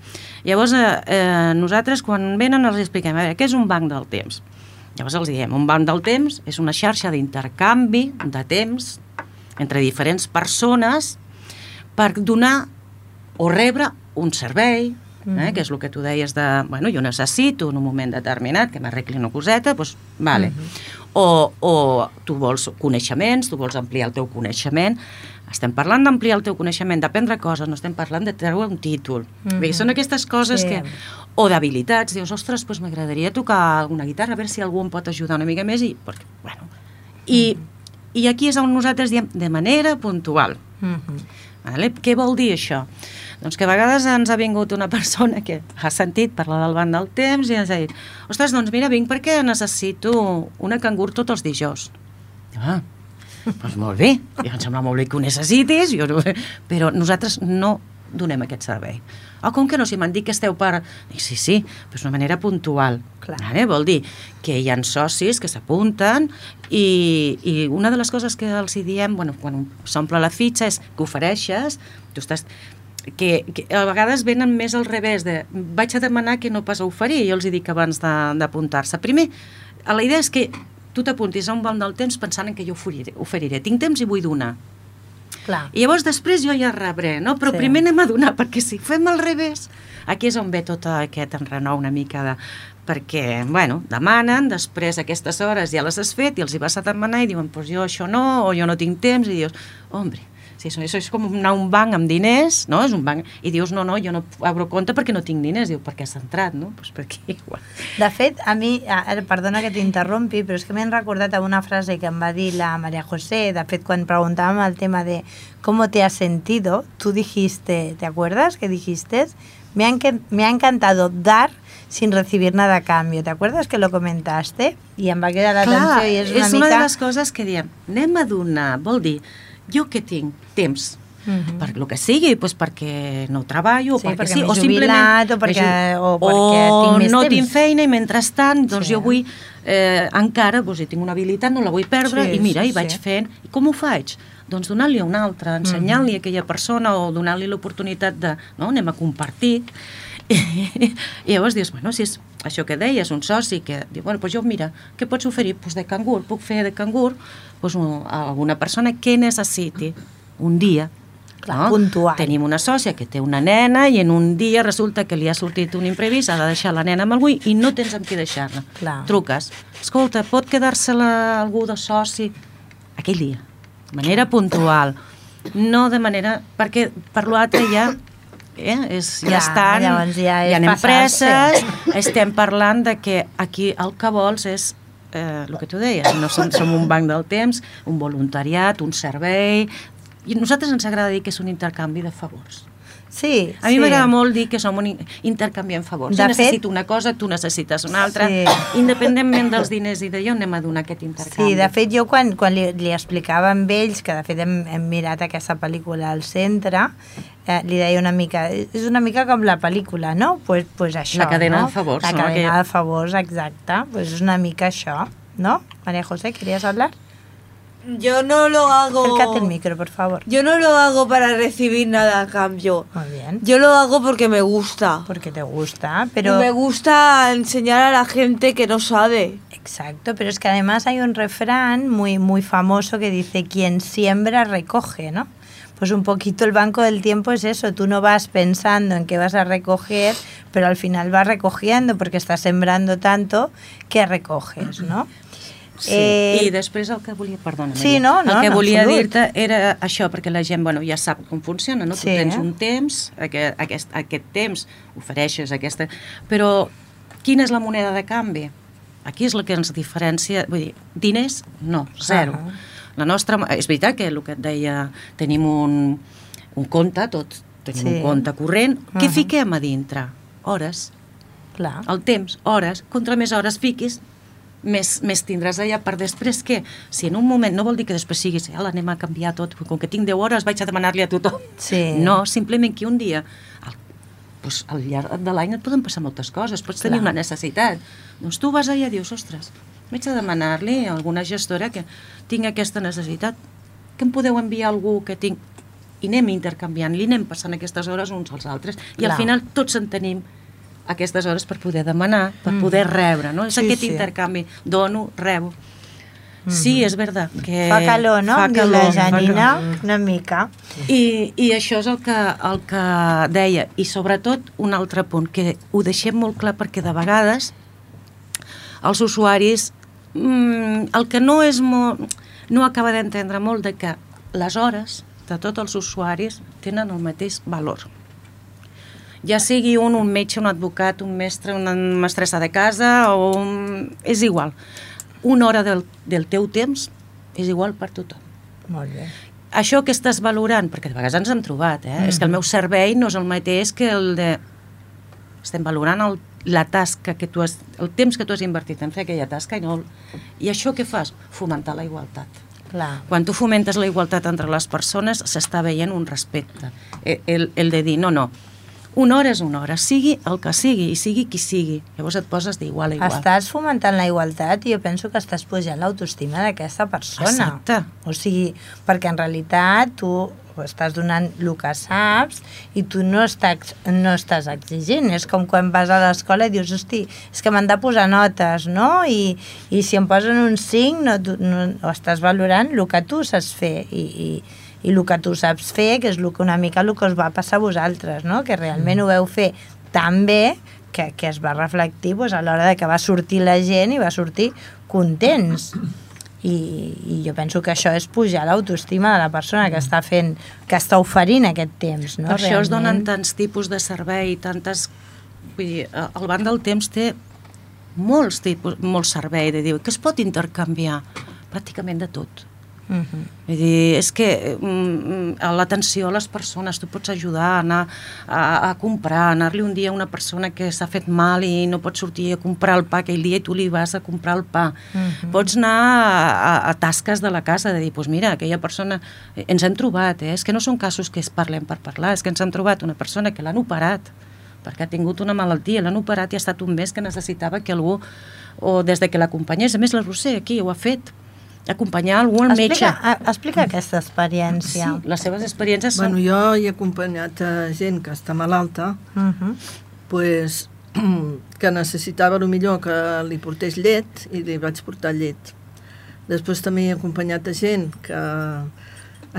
Llavors, eh, eh, nosaltres quan venen els expliquem, a veure, què és un banc del temps? Llavors els diem, un banc del temps és una xarxa d'intercanvi de temps entre diferents persones per donar o rebre un servei, eh, que és el que tu deies de, bueno, jo necessito en un moment determinat que m'arregli una coseta, doncs, vale. Uh-huh. O, o tu vols coneixements, tu vols ampliar el teu coneixement. Estem parlant d'ampliar el teu coneixement, d'aprendre coses, no estem parlant de treure un títol. Mm-hmm. Bé, són aquestes coses sí. que... O d'habilitats, dius, ostres, doncs m'agradaria tocar una guitarra, a veure si algú em pot ajudar una mica més, i, perquè, bueno, i, mm-hmm. i aquí és on nosaltres diem de manera puntual. Mm-hmm. Vale? Què vol dir això? Doncs que a vegades ens ha vingut una persona que ha sentit parlar del banc del temps i ens ha dit, ostres, doncs mira, vinc perquè necessito una cangur tots els dijous. Ah, doncs molt bé, ja em sembla molt bé que ho necessitis, jo no... però nosaltres no donem aquest servei. Ah, com que no? Si m'han dit que esteu per... Dic, sí, sí, però és una manera puntual. Vale? Vol dir que hi ha socis que s'apunten i, i una de les coses que els hi diem, bueno, quan s'omple la fitxa, és que ofereixes, tu estàs... Que, que a vegades venen més al revés de vaig a demanar que no pas a oferir, jo els hi dic abans d'apuntar-se. Primer, la idea és que tu t'apuntis a un banc del temps pensant en que jo oferiré, oferiré. Tinc temps i vull donar. Clar. I llavors després jo ja rebré, no? Però sí. primer anem a donar, perquè si fem al revés, aquí és on ve tot aquest enrenou una mica de... Perquè, bueno, demanen, després aquestes hores ja les has fet i els hi vas a demanar i diuen, pues jo això no, o jo no tinc temps, i dius, hombre, si això, això és com anar a un banc amb diners, no? És un banc, i dius, no, no, jo no obro compte perquè no tinc diners, diu, perquè has entrat, no? Pues perquè igual. De fet, a mi, perdona que t'interrompi, però és que m'he recordat una frase que em va dir la María José, de fet, quan preguntàvem el tema de ¿cómo te has sentido? Tu dijiste, ¿te acuerdas que dijiste? Me ha, me ha encantado dar sin recibir nada a cambio. ¿Te acuerdas que lo comentaste? I em va quedar l'atenció i és una és mica... una de les coses que diem, anem a donar, vol dir, jo que tinc temps, uh-huh. per lo que sigui, pues perquè no treballo, sí, o perquè, perquè sí, o simplement... o perquè, o perquè o tinc més no temps. tinc feina i mentrestant, doncs sí. jo vull, eh, encara, doncs, si tinc una habilitat, no la vull perdre, sí, i mira, sí, i vaig sí. fent. I com ho faig? Doncs donar-li a una altra, ensenyant-li uh-huh. a aquella persona o donar-li l'oportunitat de, no, anem a compartir. I, i llavors dius, bueno, si és això que deies, un soci que diu, bueno, doncs jo, mira, què pots oferir? Doncs de cangur, puc fer de cangur doncs a alguna persona que necessiti un dia. Clar, no? puntual. Tenim una sòcia que té una nena i en un dia resulta que li ha sortit un imprevist, ha de deixar la nena amb algú i no tens amb qui deixar-la. Truques, escolta, pot quedar-se-la algú de soci aquell dia, de manera puntual, no de manera... perquè per l'altre ja... Eh, és, ja, ja estan, ja hi ha empreses, estem parlant de que aquí el que vols és eh, el que tu deies, no som, som un banc del temps, un voluntariat, un servei, i a nosaltres ens agrada dir que és un intercanvi de favors. Sí, A mi sí. m'agrada molt dir que som un intercanviem favors. De Jo fet- necessito una cosa, tu necessites una altra, Sí. independentment dels diners i d'allò anem a donar aquest intercanvi. Sí, de fet, jo quan, quan li, li explicava amb ells, que de fet hem, hem mirat aquesta pel·lícula al centre, eh, li deia una mica, és una mica com la pel·lícula, no? Pues, pues això, La cadena no? de favors, La no? cadena Que- de favors, exacte. Pues és una mica això, ¿no? María José, ¿querías hablar? Yo no lo hago... Acércate el micro, por favor. Yo no lo hago para recibir nada a cambio. Muy bien. Yo lo hago porque me gusta. Porque te gusta, pero... Y me gusta enseñar a la gente que no sabe. Exacto, pero es que además hay un refrán muy, muy famoso que dice, quien siembra recoge, ¿no? Pues un poquito el banco del tiempo es eso, tú no vas pensando en qué vas a recoger, pero al final vas recogiendo porque estás sembrando tanto que recoges, ¿no? Sí, Eh, i després el que volia... Perdona, Sí, Maria. no, no, El que en volia absolut. dir-te era això, perquè la gent, bueno, ja sap com funciona, no? Sí, Tu tens eh? un temps, aquest, aquest, aquest temps, ofereixes aquesta... Però quina és la moneda de canvi? Aquí és el que ens diferencia... Vull dir, diners, no, zero. Ah. La nostra... És veritat que el que et deia, tenim un, un compte, tots tenim Sí. un compte corrent. Què Ah. fiquem a dintre? Hores. Clar. El temps, hores. Contra més hores fiquis, més, més tindràs allà per després que, si en un moment, no vol dir que després siguis, ja l'anem a canviar tot, com que tinc deu hores vaig a demanar-li a tothom. Sí. No, simplement que un dia, al, doncs, al llarg de l'any et poden passar moltes coses, pots tenir Clar. una necessitat. Doncs tu vas allà i dius, ostres, vaig a demanar-li a alguna gestora que tinc aquesta necessitat, que em podeu enviar algú que tinc, i anem intercanviant, li anem passant aquestes hores uns als altres, i Clar. al final tots en tenim aquestes hores per poder demanar, per poder rebre, no? És Sí, aquest sí. intercanvi, dono, rebo. Sí, és veritat que... Fa calor, no? Fa Em diu calor, la fa Janina, calor. una mica. I, I això és el que, el que deia. I sobretot un altre punt, que ho deixem molt clar perquè de vegades els usuaris mmm, el que no és molt, no acaba d'entendre molt de que les hores de tots els usuaris tenen el mateix valor. Ja sigui un, un metge, un advocat, un mestre, una mestressa de casa, o un... és igual. Una hora del, del teu temps és igual per tothom. Molt bé. Això que estàs valorant, perquè de vegades ens hem trobat, eh? Mm. És que el meu servei no és el mateix que el de... Estem valorant el, la tasca que tu has... el temps que tu has invertit en fer aquella tasca i no... I això què fas? Fomentar la igualtat. Clar. Quan tu fomentes la igualtat entre les persones, s'està veient un respecte. El, el, el de dir, no, no, una hora és una hora, sigui el que sigui, i sigui qui sigui. Llavors et poses d'igual a igual. Estàs fomentant la igualtat i jo penso que estàs pujant l'autoestima d'aquesta persona. Exacte. O sigui, perquè en realitat tu estàs donant el que saps i tu no estàs, no estàs exigint. És com quan vas a l'escola i dius, hosti, és que m'han de posar notes, no? I, i si em posen un cinc, no, tu, no, estàs valorant el que tu saps fer i, i, i el que tu saps fer, que és el que una mica el que us va passar a vosaltres, no? Que realment ho veu fer tan bé que, que es va reflectir pues, a l'hora de que va sortir la gent i va sortir contents. I, i jo penso que això és pujar l'autoestima de la persona que està fent, que està oferint aquest temps, no? Per això es donen Realment. tants tipus de servei, tantes... Vull dir, el Banc del Temps té molts tipus, molt servei de dir que es pot intercanviar pràcticament de tot. Mhm. Vull dir, és que mm, l'atenció a les persones, tu pots ajudar a anar a, a comprar, anar-li un dia a una persona que s'ha fet mal i no pot sortir a comprar el pa aquell dia i tu li vas a comprar el pa. Mhm. Pots anar a, a, a tasques de la casa, de dir, doncs mira, aquella persona, ens hem trobat, eh? És que no són casos que es parlem per parlar, és que ens hem trobat una persona que l'han operat, perquè ha tingut una malaltia, l'han operat i ha estat un mes que necessitava que algú, o des de que l'acompanyés, a més la Roser aquí ho ha fet, acompanyar algú al metge. Explica, a- explica aquesta experiència. Sí, les seves experiències són... Bueno, jo he acompanyat a gent que està malalta, Mhm. pues, que necessitava millor que li portés llet i li vaig portar llet. Després també he acompanyat a gent que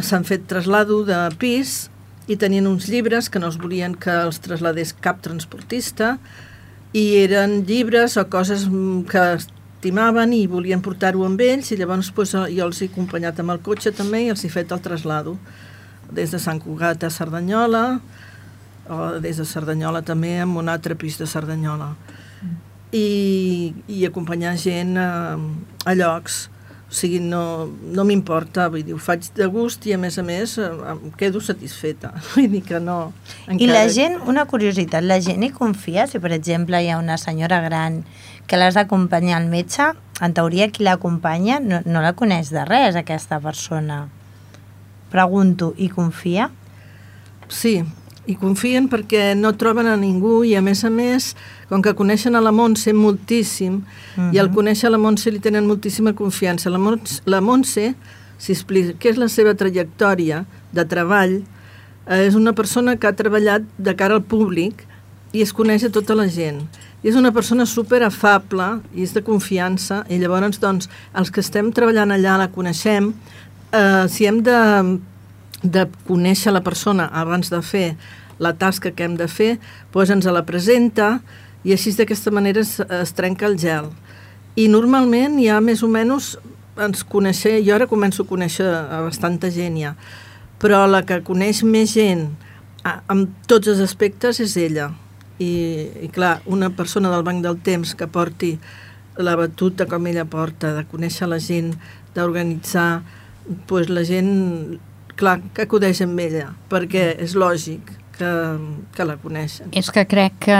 s'han fet traslado de pis i tenien uns llibres que no es volien que els trasladés cap transportista i eren llibres o coses que estimaven i volien portar-ho amb ells i llavors pues, jo els he acompanyat amb el cotxe també i els he fet el traslado des de Sant Cugat a Cerdanyola o des de Cerdanyola també amb un altre pis de Cerdanyola i, i acompanyar gent a, a llocs O sigui, no, no m'importa, vull dir, ho faig de gust i a més a més em quedo satisfeta. Vull dir que no... I la gent, una curiositat, la gent hi confia? Si per exemple hi ha una senyora gran que l'has d'acompanyar al metge, en teoria qui l'acompanya no, no la coneix de res, aquesta persona. Pregunto, hi confia? Sí, hi confien perquè no troben a ningú i a més a més, com que coneixen a la Montse moltíssim, uh-huh. i al conèixer la Montse li tenen moltíssima confiança. La Montse, la Montse si explica què és la seva trajectòria de treball, eh, és una persona que ha treballat de cara al públic i es coneix a tota la gent. I és una persona super afable i és de confiança i llavors, doncs, els que estem treballant allà la coneixem. Eh, si hem de... de conèixer la persona abans de fer la tasca que hem de fer, doncs ens la presenta i així d'aquesta manera es, es trenca el gel. I normalment ja més o menys ens coneixem, jo ara començo a conèixer a bastanta gent ja, però la que coneix més gent a, amb tots els aspectes és ella. I, i clar, una persona del Banc del Temps que porti la batuta com ella porta, de conèixer la gent, d'organitzar, doncs la gent... clar, que acudeix amb ella, perquè és lògic que, que la coneixen. És que crec que,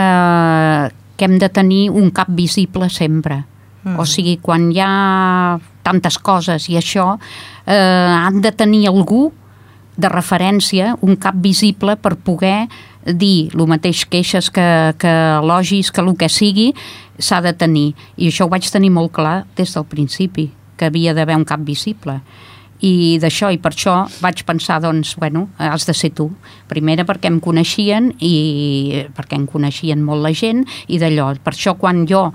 que hem de tenir un cap visible sempre. Mm. O sigui, quan hi ha tantes coses i això, eh, han de tenir algú de referència, un cap visible per poder dir el mateix queixes que, que elogis, que el que sigui, s'ha de tenir. I això ho vaig tenir molt clar des del principi, que havia d'haver un cap visible. I d'això, i per això vaig pensar, doncs, bueno, has de ser tu. Primera perquè em coneixien i perquè em coneixien molt la gent i d'allò. Per això quan jo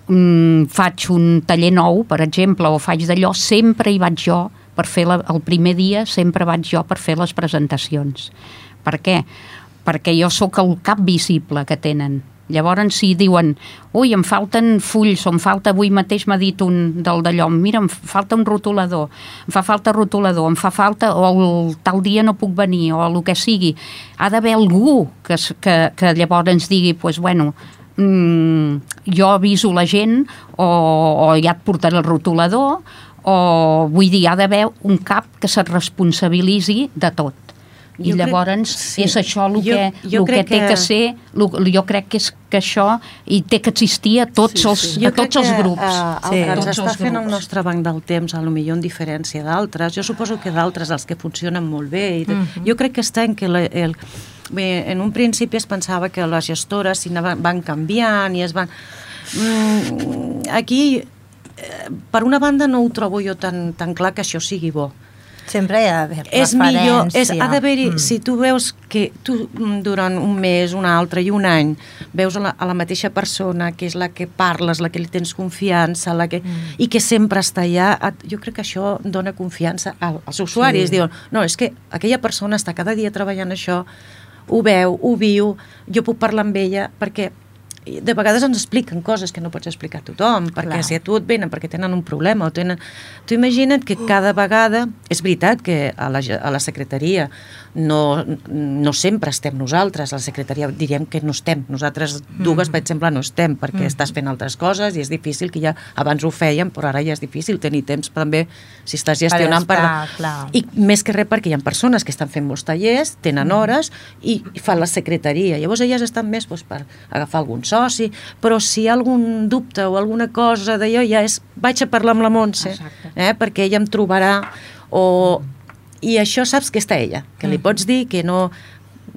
mm, faig un taller nou, per exemple, o faig d'allò, sempre hi vaig jo per fer la, el primer dia, sempre vaig jo per fer les presentacions. Per què? Perquè jo sóc el cap visible que tenen. Llavors, si diuen, ui, em falten fulls, o em falta, avui mateix m'ha dit un del d'allò, mira, em falta un rotulador, em fa falta rotulador, em fa falta, o el tal dia no puc venir, o el que sigui. Ha d'haver algú que, que, que llavors ens digui, doncs, bueno, mmm, jo aviso la gent, o, o ja et portaré el rotulador, o vull dir, ha d'haver un cap que se't responsabilitzi de tot. I jo llavors crec, sí. és això el que, jo, jo que té que, que ser, lo, jo crec que és que això i té que existir a tots, sí, els, sí. a tots els grups. Uh, el sí. que ens està fent el nostre Banc del Temps, a lo millor en diferència d'altres, jo suposo que d'altres els que funcionen molt bé, i uh-huh. jo crec que està en que la, el, bé, en un principi es pensava que les gestores van canviant i es van... Mm, aquí, per una banda, no ho trobo jo tan, tan clar que això sigui bo. Sempre hi ha d'haver és referència. Millor, és, ha d'haver-hi, mm. si tu veus que tu durant un mes, un altre i un any veus a la, a la mateixa persona que és la que parles, la que li tens confiança, la que, mm. i que sempre està allà, jo crec que això dona confiança als usuaris. Sí. Diuen, no, és que aquella persona està cada dia treballant això, ho veu, ho viu, jo puc parlar amb ella, perquè de vegades ens expliquen coses que no pots explicar a tothom, perquè Clar. si a tu et venen perquè tenen un problema o tenen... Tu imagina't que cada vegada... És veritat que a la, a la secretaria no, no sempre estem nosaltres, a la secretaria diríem que no estem, nosaltres dues, mm. per exemple, no estem, perquè mm. estàs fent altres coses i és difícil, que ja abans ho fèiem, però ara ja és difícil tenir temps també, si estàs gestionant... Per estar, per... I més que res perquè hi ha persones que estan fent molts tallers, tenen hores i, i fan la secretaria. Llavors elles estan més doncs, per agafar algun soci, però si hi ha algun dubte o alguna cosa d'allò, ja és, vaig a parlar amb la Montse, eh, perquè ella em trobarà, o... I això saps que està ella, que li pots dir que no...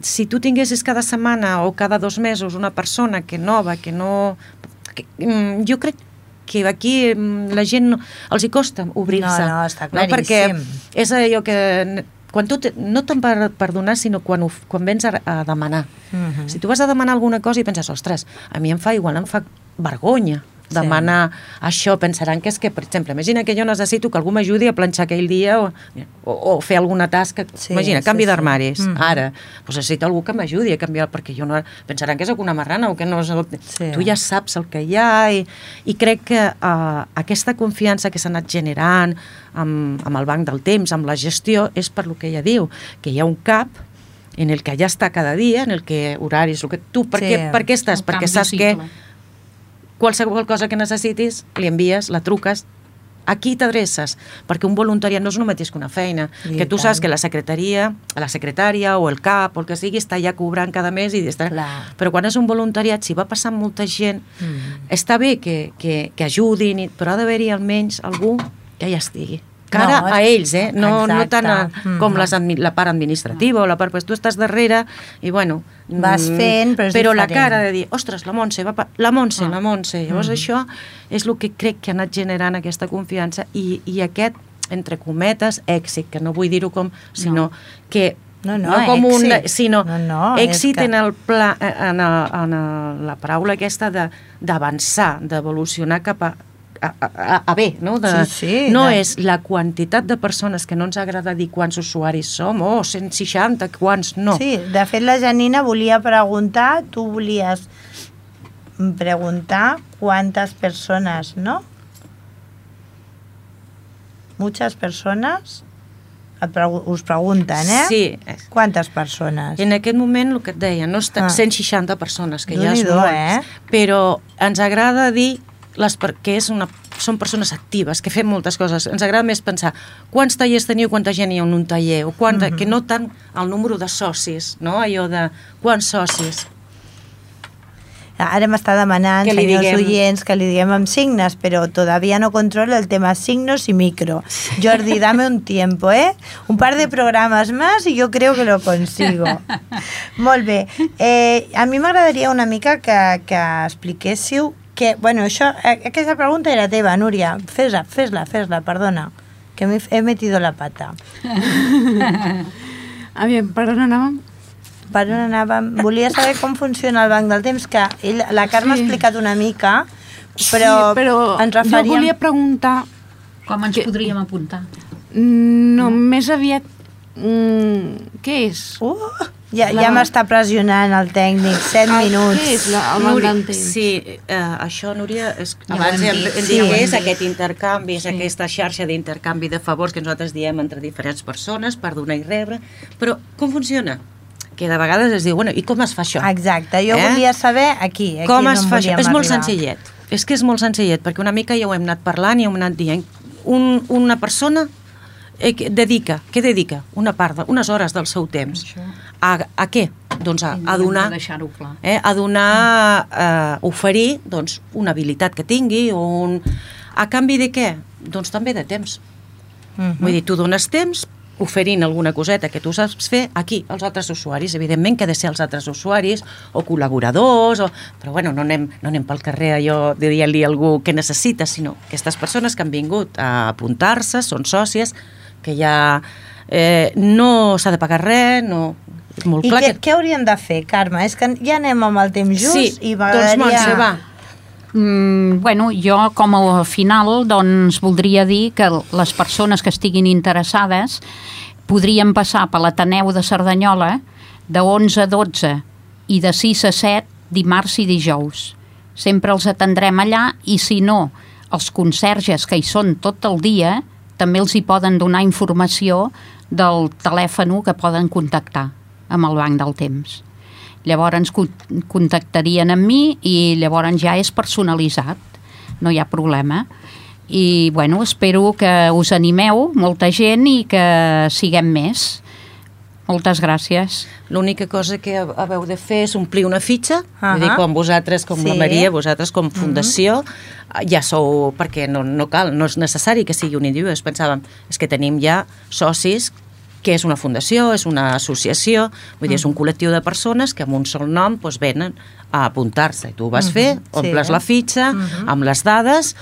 Si tu tinguessis cada setmana o cada dos mesos una persona que nova, que no... Que, jo crec que aquí la gent no, els hi costa obrir-se. No, no, està claríssim. No? Perquè és allò que... Quan tu te, no tant per, per donar, sinó quan, ho, quan vens a, a demanar. Uh-huh. Si tu vas a demanar alguna cosa i penses, ostres, a mi em fa igual, em fa vergonya demanar sí. això, pensaran que és que, per exemple, imagina que jo necessito que algú m'ajudi a planxar aquell dia o, o, o fer alguna tasca, sí, imagina, canvi sí, d'armaris, sí. ara, doncs necessito algú que m'ajudi a canviar, perquè jo no... Pensaran que és una marrana o que no... Sí. Tu ja saps el que hi ha i, i crec que uh, aquesta confiança que s'ha anat generant amb, amb el Banc del Temps, amb la gestió, és per lo que ella diu, que hi ha un cap en el que ja està cada dia, en el que horaris, el que tu, per, sí. què, per què estàs? Perquè saps que qualsevol cosa que necessitis, li envies, la truques a qui t'adreces? Perquè un voluntariat no és el mateix que una feina, I que tu tant. saps que la secretaria, la secretària o el cap o el que sigui està ja cobrant cada mes, i està... però quan és un voluntariat, si va passant molta gent, mm. està bé que, que, que ajudin, però ha d'haver-hi almenys algú que ja estigui. Cara no, a ells, eh? No, no tant a, com mm. les, la part administrativa o la part... Pues tu estàs darrere i, bueno... Vas fent, però és però diferent. la cara de dir, ostres, la Montse, va pa... la Montse, ah. la Montse. Llavors mm. això és el que crec que ha anat generant aquesta confiança i, i aquest, entre cometes, èxit, que no vull dir-ho com, sinó no. que... No, no, no com èxit. Un, sinó no, no, èxit que... en, el pla, en, el, en el, la paraula aquesta d'avançar, d'evolucionar cap a A, a, a bé, no? De, sí, sí, no de... és la quantitat de persones que no ens agrada dir quants usuaris som, oh, cent seixanta, quants, no. Sí, de fet la Janina volia preguntar, tu volies preguntar quantes persones, no? Muchas persones us pregunten, eh? Sí. Quantes persones? En aquest moment, el que et deia, no està, ah. cent seixanta persones, que ja és molt, eh? però ens agrada dir les, que és una, són persones actives, que fem moltes coses. Ens agrada més pensar quants tallers teniu, quanta gent hi ha en un taller, o quanta, mm-hmm. que no tant el número de socis, no? Allò de quants socis. Ara m'està demanant, senyors diguem... oients, que li diguem amb signes, però todavía no controlo el tema signos y micro. Jordi, dame un tiempo, ¿eh? Un par de programas más y yo creo que lo consigo. Molt bé. Eh, a mi m'agradaria una mica que, que expliquéssiu que, bueno, això, aquesta pregunta era teva, Núria. Fes-la, fes-la, fes-la, perdona, que me he metido la pata. A veure, per on anàvem? Per on anàvem? Volia saber com funciona el banc del temps, que ell, la Carme sí. ha explicat una mica, però, sí, però ens referíem... jo volia preguntar... Com ens que... podríem apuntar? No, no. més aviat... Mm, què és? Uh, ja la... ja m'està pressionant el tècnic, set ah, minuts. Què és la, el banc del temps? Sí, uh, això, Núria, és, ja abans hem, hem dit sí, que és aquest intercanvi, és sí. aquesta xarxa d'intercanvi de favors que nosaltres diem entre diferents persones per donar i rebre, però com funciona? Que de vegades es diu, bueno, i com es fa això? Exacte, jo eh? volia saber aquí, aquí com es no fa això? És arribar. molt senzillet, és que és molt senzillet, perquè una mica ja ho hem anat parlant i hem anat dient. Un, una persona eh, dedica, què dedica? Una part, de, unes hores del seu temps. A, a què? Doncs a, a donar, eh, a donar, eh, oferir doncs, una habilitat que tingui, o un... a canvi de què? Doncs també de temps. Uh-huh. Vull dir, tu dones temps oferint alguna coseta que tu saps fer aquí, als altres usuaris. Evidentment que ha de ser els altres usuaris o col·laboradors, o... però bueno, no anem, no anem pel carrer allò de dir-li a algú què necessita, sinó aquestes persones que han vingut a apuntar-se, són sòcies, que ja eh, no s'ha de pagar res, no... Molt I clar què, que... què hauríem de fer, Carme? És que ja anem amb el temps just sí, i m'agradaria... doncs Montse, va. Mm, bueno, jo com a final doncs voldria dir que les persones que estiguin interessades podrien passar per l'Ateneu de Cerdanyola de onze a dotze i de sis a set dimarts i dijous. Sempre els atendrem allà i si no, els conserges que hi són tot el dia també els hi poden donar informació del telèfon que poden contactar amb el Banc del Temps. Llavors contactarien amb mi i llavors ja és personalitzat, no hi ha problema. I bueno, espero que us animeu, molta gent, i que siguem més. Moltes gràcies. L'única cosa que haveu de fer és omplir una fitxa, uh-huh. vull dir, com vosaltres, com sí. la Maria, vosaltres com fundació, uh-huh. ja sou, perquè no, no cal, no és necessari que sigui un individu, pensàvem, és que tenim ja socis que és una fundació, és una associació, vull dir, és un col·lectiu de persones que amb un sol nom doncs, venen a apuntar-se. I tu ho vas uh-huh. fer, omples sí, la fitxa, uh-huh. amb les dades,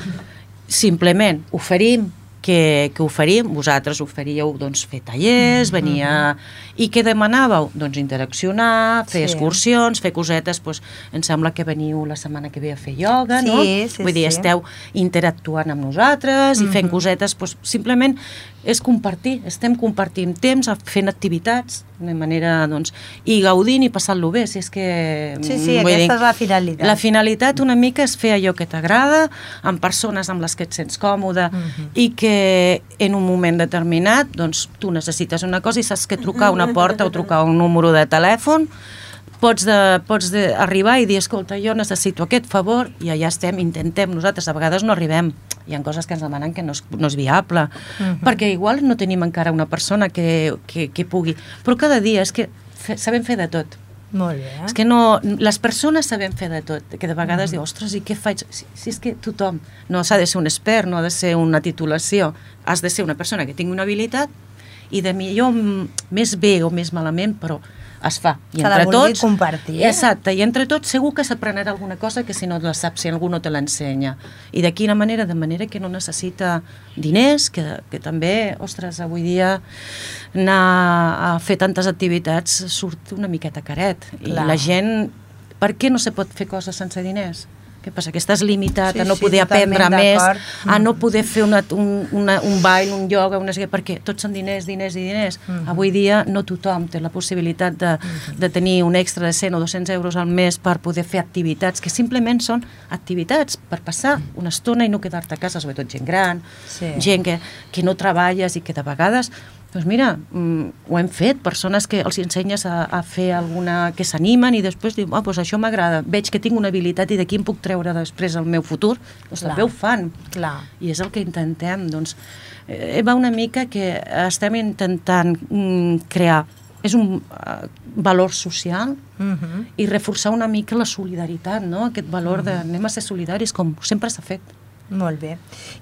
simplement oferim que, que oferim, vosaltres oferíeu doncs, fer tallers, venir a... I què demanàveu? Doncs interaccionar, fer sí. excursions, fer cosetes, doncs, em sembla que veniu la setmana que ve a fer ioga, sí, no? Sí, Vull dir, sí. esteu interactuant amb nosaltres i fent cosetes, doncs, simplement és compartir, estem compartint temps, fent activitats, de manera, doncs, i gaudint i passant-lo bé, si és que... Sí, sí, aquesta dir, és la finalitat. La finalitat una mica és fer allò que t'agrada, amb persones amb les que et sents còmode, uh-huh. i que en un moment determinat, doncs, tu necessites una cosa i saps que trucar a una porta o trucar a un número de telèfon pots, de, pots de arribar i dir, escolta, jo necessito aquest favor, i allà estem, intentem, nosaltres a vegades no arribem, hi ha coses que ens demanen que no és, no és viable, uh-huh. perquè igual no tenim encara una persona que, que, que pugui, però cada dia és que fe, sabem fer de tot. Molt bé. És que no, les persones sabem fer de tot, que de vegades uh-huh. diu, ostres, i què faig? Si, si és que tothom, no s'ha de ser un expert, no ha de ser una titulació, has de ser una persona que tingui una habilitat i de millor més bé o més malament, però es fa. I que entre la vulgui tots, compartir. Eh? Exacte, i entre tots segur que s'aprenarà alguna cosa que si no la saps, si algú no te l'ensenya. I de quina manera? De manera que no necessita diners, que, que també, ostres, avui dia anar a fer tantes activitats surt una miqueta caret. Clar. I la gent, per què no se pot fer coses sense diners? Què passa? Que estàs limitat sí, a no poder sí, aprendre més, a no poder fer una, un, una, un ball, un ioga, una... perquè tots són diners, diners i diners. Uh-huh. Avui dia no tothom té la possibilitat de, uh-huh. de tenir un extra de cent o dos-cents euros al mes per poder fer activitats que simplement són activitats per passar una estona i no quedar-te a casa, sobretot gent gran, sí. gent que, que no treballes i que de vegades... Doncs mira, mm, ho hem fet, persones que els ensenyes a, a fer alguna... que s'animen i després diuen, ah, doncs això m'agrada, veig que tinc una habilitat i d'aquí em puc treure després el meu futur, doncs clar. També ho fan. Clar. I és el que intentem, doncs, eh, va una mica que estem intentant mm, crear, és un uh, valor social uh-huh. i reforçar una mica la solidaritat, no? Aquest valor de anem a ser solidaris com sempre s'ha fet. Molt bé.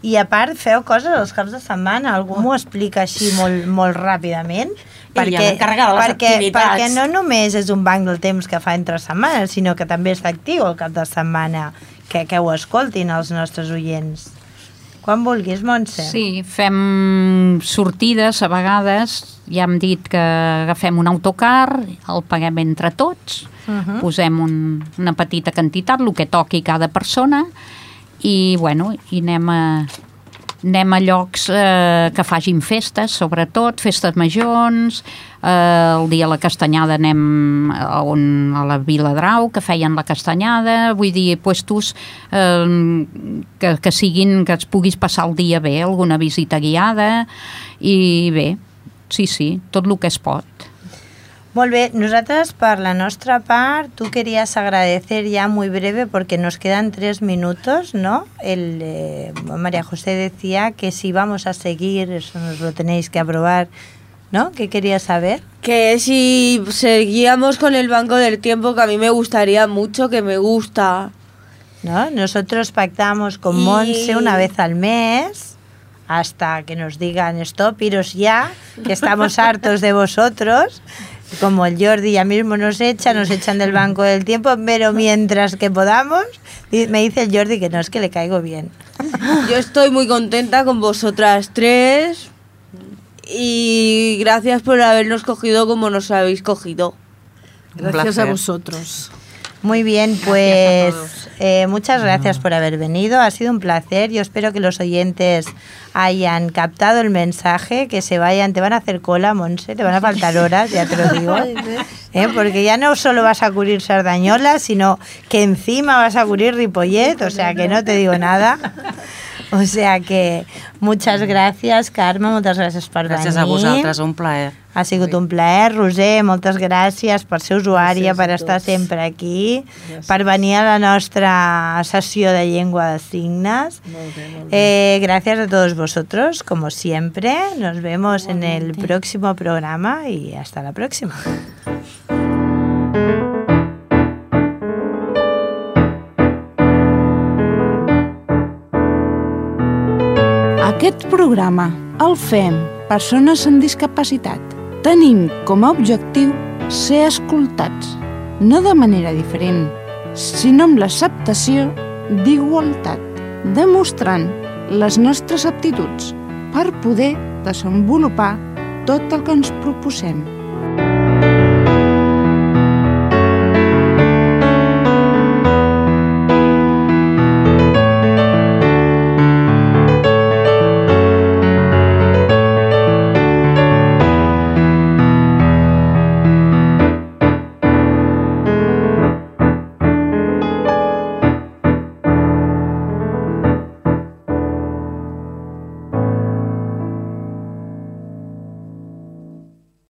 I a part feu coses els caps de setmana, algú m'ho explica així molt, molt ràpidament? Perquè, perquè, perquè no només és un banc del temps que fa entre setmanes, sinó que també és actiu el cap de setmana, que, que ho escoltin els nostres oients. Quan vulguis, Montse. Sí, fem sortides a vegades, ja hem dit que agafem un autocar, el paguem entre tots, uh-huh. posem un, una petita quantitat, el que toqui cada persona, i, bueno, i anem a, anem a llocs eh, que facin festes, sobretot, festes majors, eh, el dia de la castanyada anem a, on, a la Viladrau, que feien la castanyada, vull dir, puestos eh, que, que siguin, que es puguis passar el dia bé, alguna visita guiada, i bé, sí, sí, tot el que es pot. Molt bé, nosotras por la nuestra parte, tú querías agradecer ya muy breve porque nos quedan tres minutos, ¿no? El, eh, María José decía que si vamos a seguir, eso nos lo tenéis que aprobar, ¿no? ¿Qué querías saber? Que si seguíamos con el Banco del Tiempo, que a mí me gustaría mucho, que me gusta. ¿No? Nosotros pactamos con y... Montse una vez al mes, hasta que nos digan stop, iros ya, que estamos hartos de vosotros. Como el Jordi ya mismo nos echa, nos echan del Banco del Tiempo, pero mientras que podamos, me dice el Jordi que no, es que le caigo bien. Yo estoy muy contenta con vosotras tres y gracias por habernos cogido como nos habéis cogido. Gracias a vosotros. Muy bien, pues eh, muchas gracias por haber venido, ha sido un placer. Yo espero que los oyentes hayan captado el mensaje, que se vayan, te van a hacer cola, Montse, te van a faltar horas, ya te lo digo, ¿eh? Porque ya no solo vas a cubrir Sardañola, sino que encima vas a cubrir Ripollet, o sea que no te digo nada. O sea que muchas gràcies, Carme, moltes gràcies per venir. Gràcies a vosaltres, un plaer. Ha sigut un plaer. Roser, moltes gràcies per ser usuària, per estar sempre aquí, gràcies. Per venir a la nostra sessió de llengua de signes. Molt bé, molt bé. Eh, gracias a todos vosotros, como siempre. Nos vemos en el próximo programa y hasta la próxima. Aquest programa el fem persones amb discapacitat. Tenim com a objectiu ser escoltats, no de manera diferent, sinó amb l'acceptació d'igualtat, demostrant les nostres aptituds per poder desenvolupar tot el que ens proposem.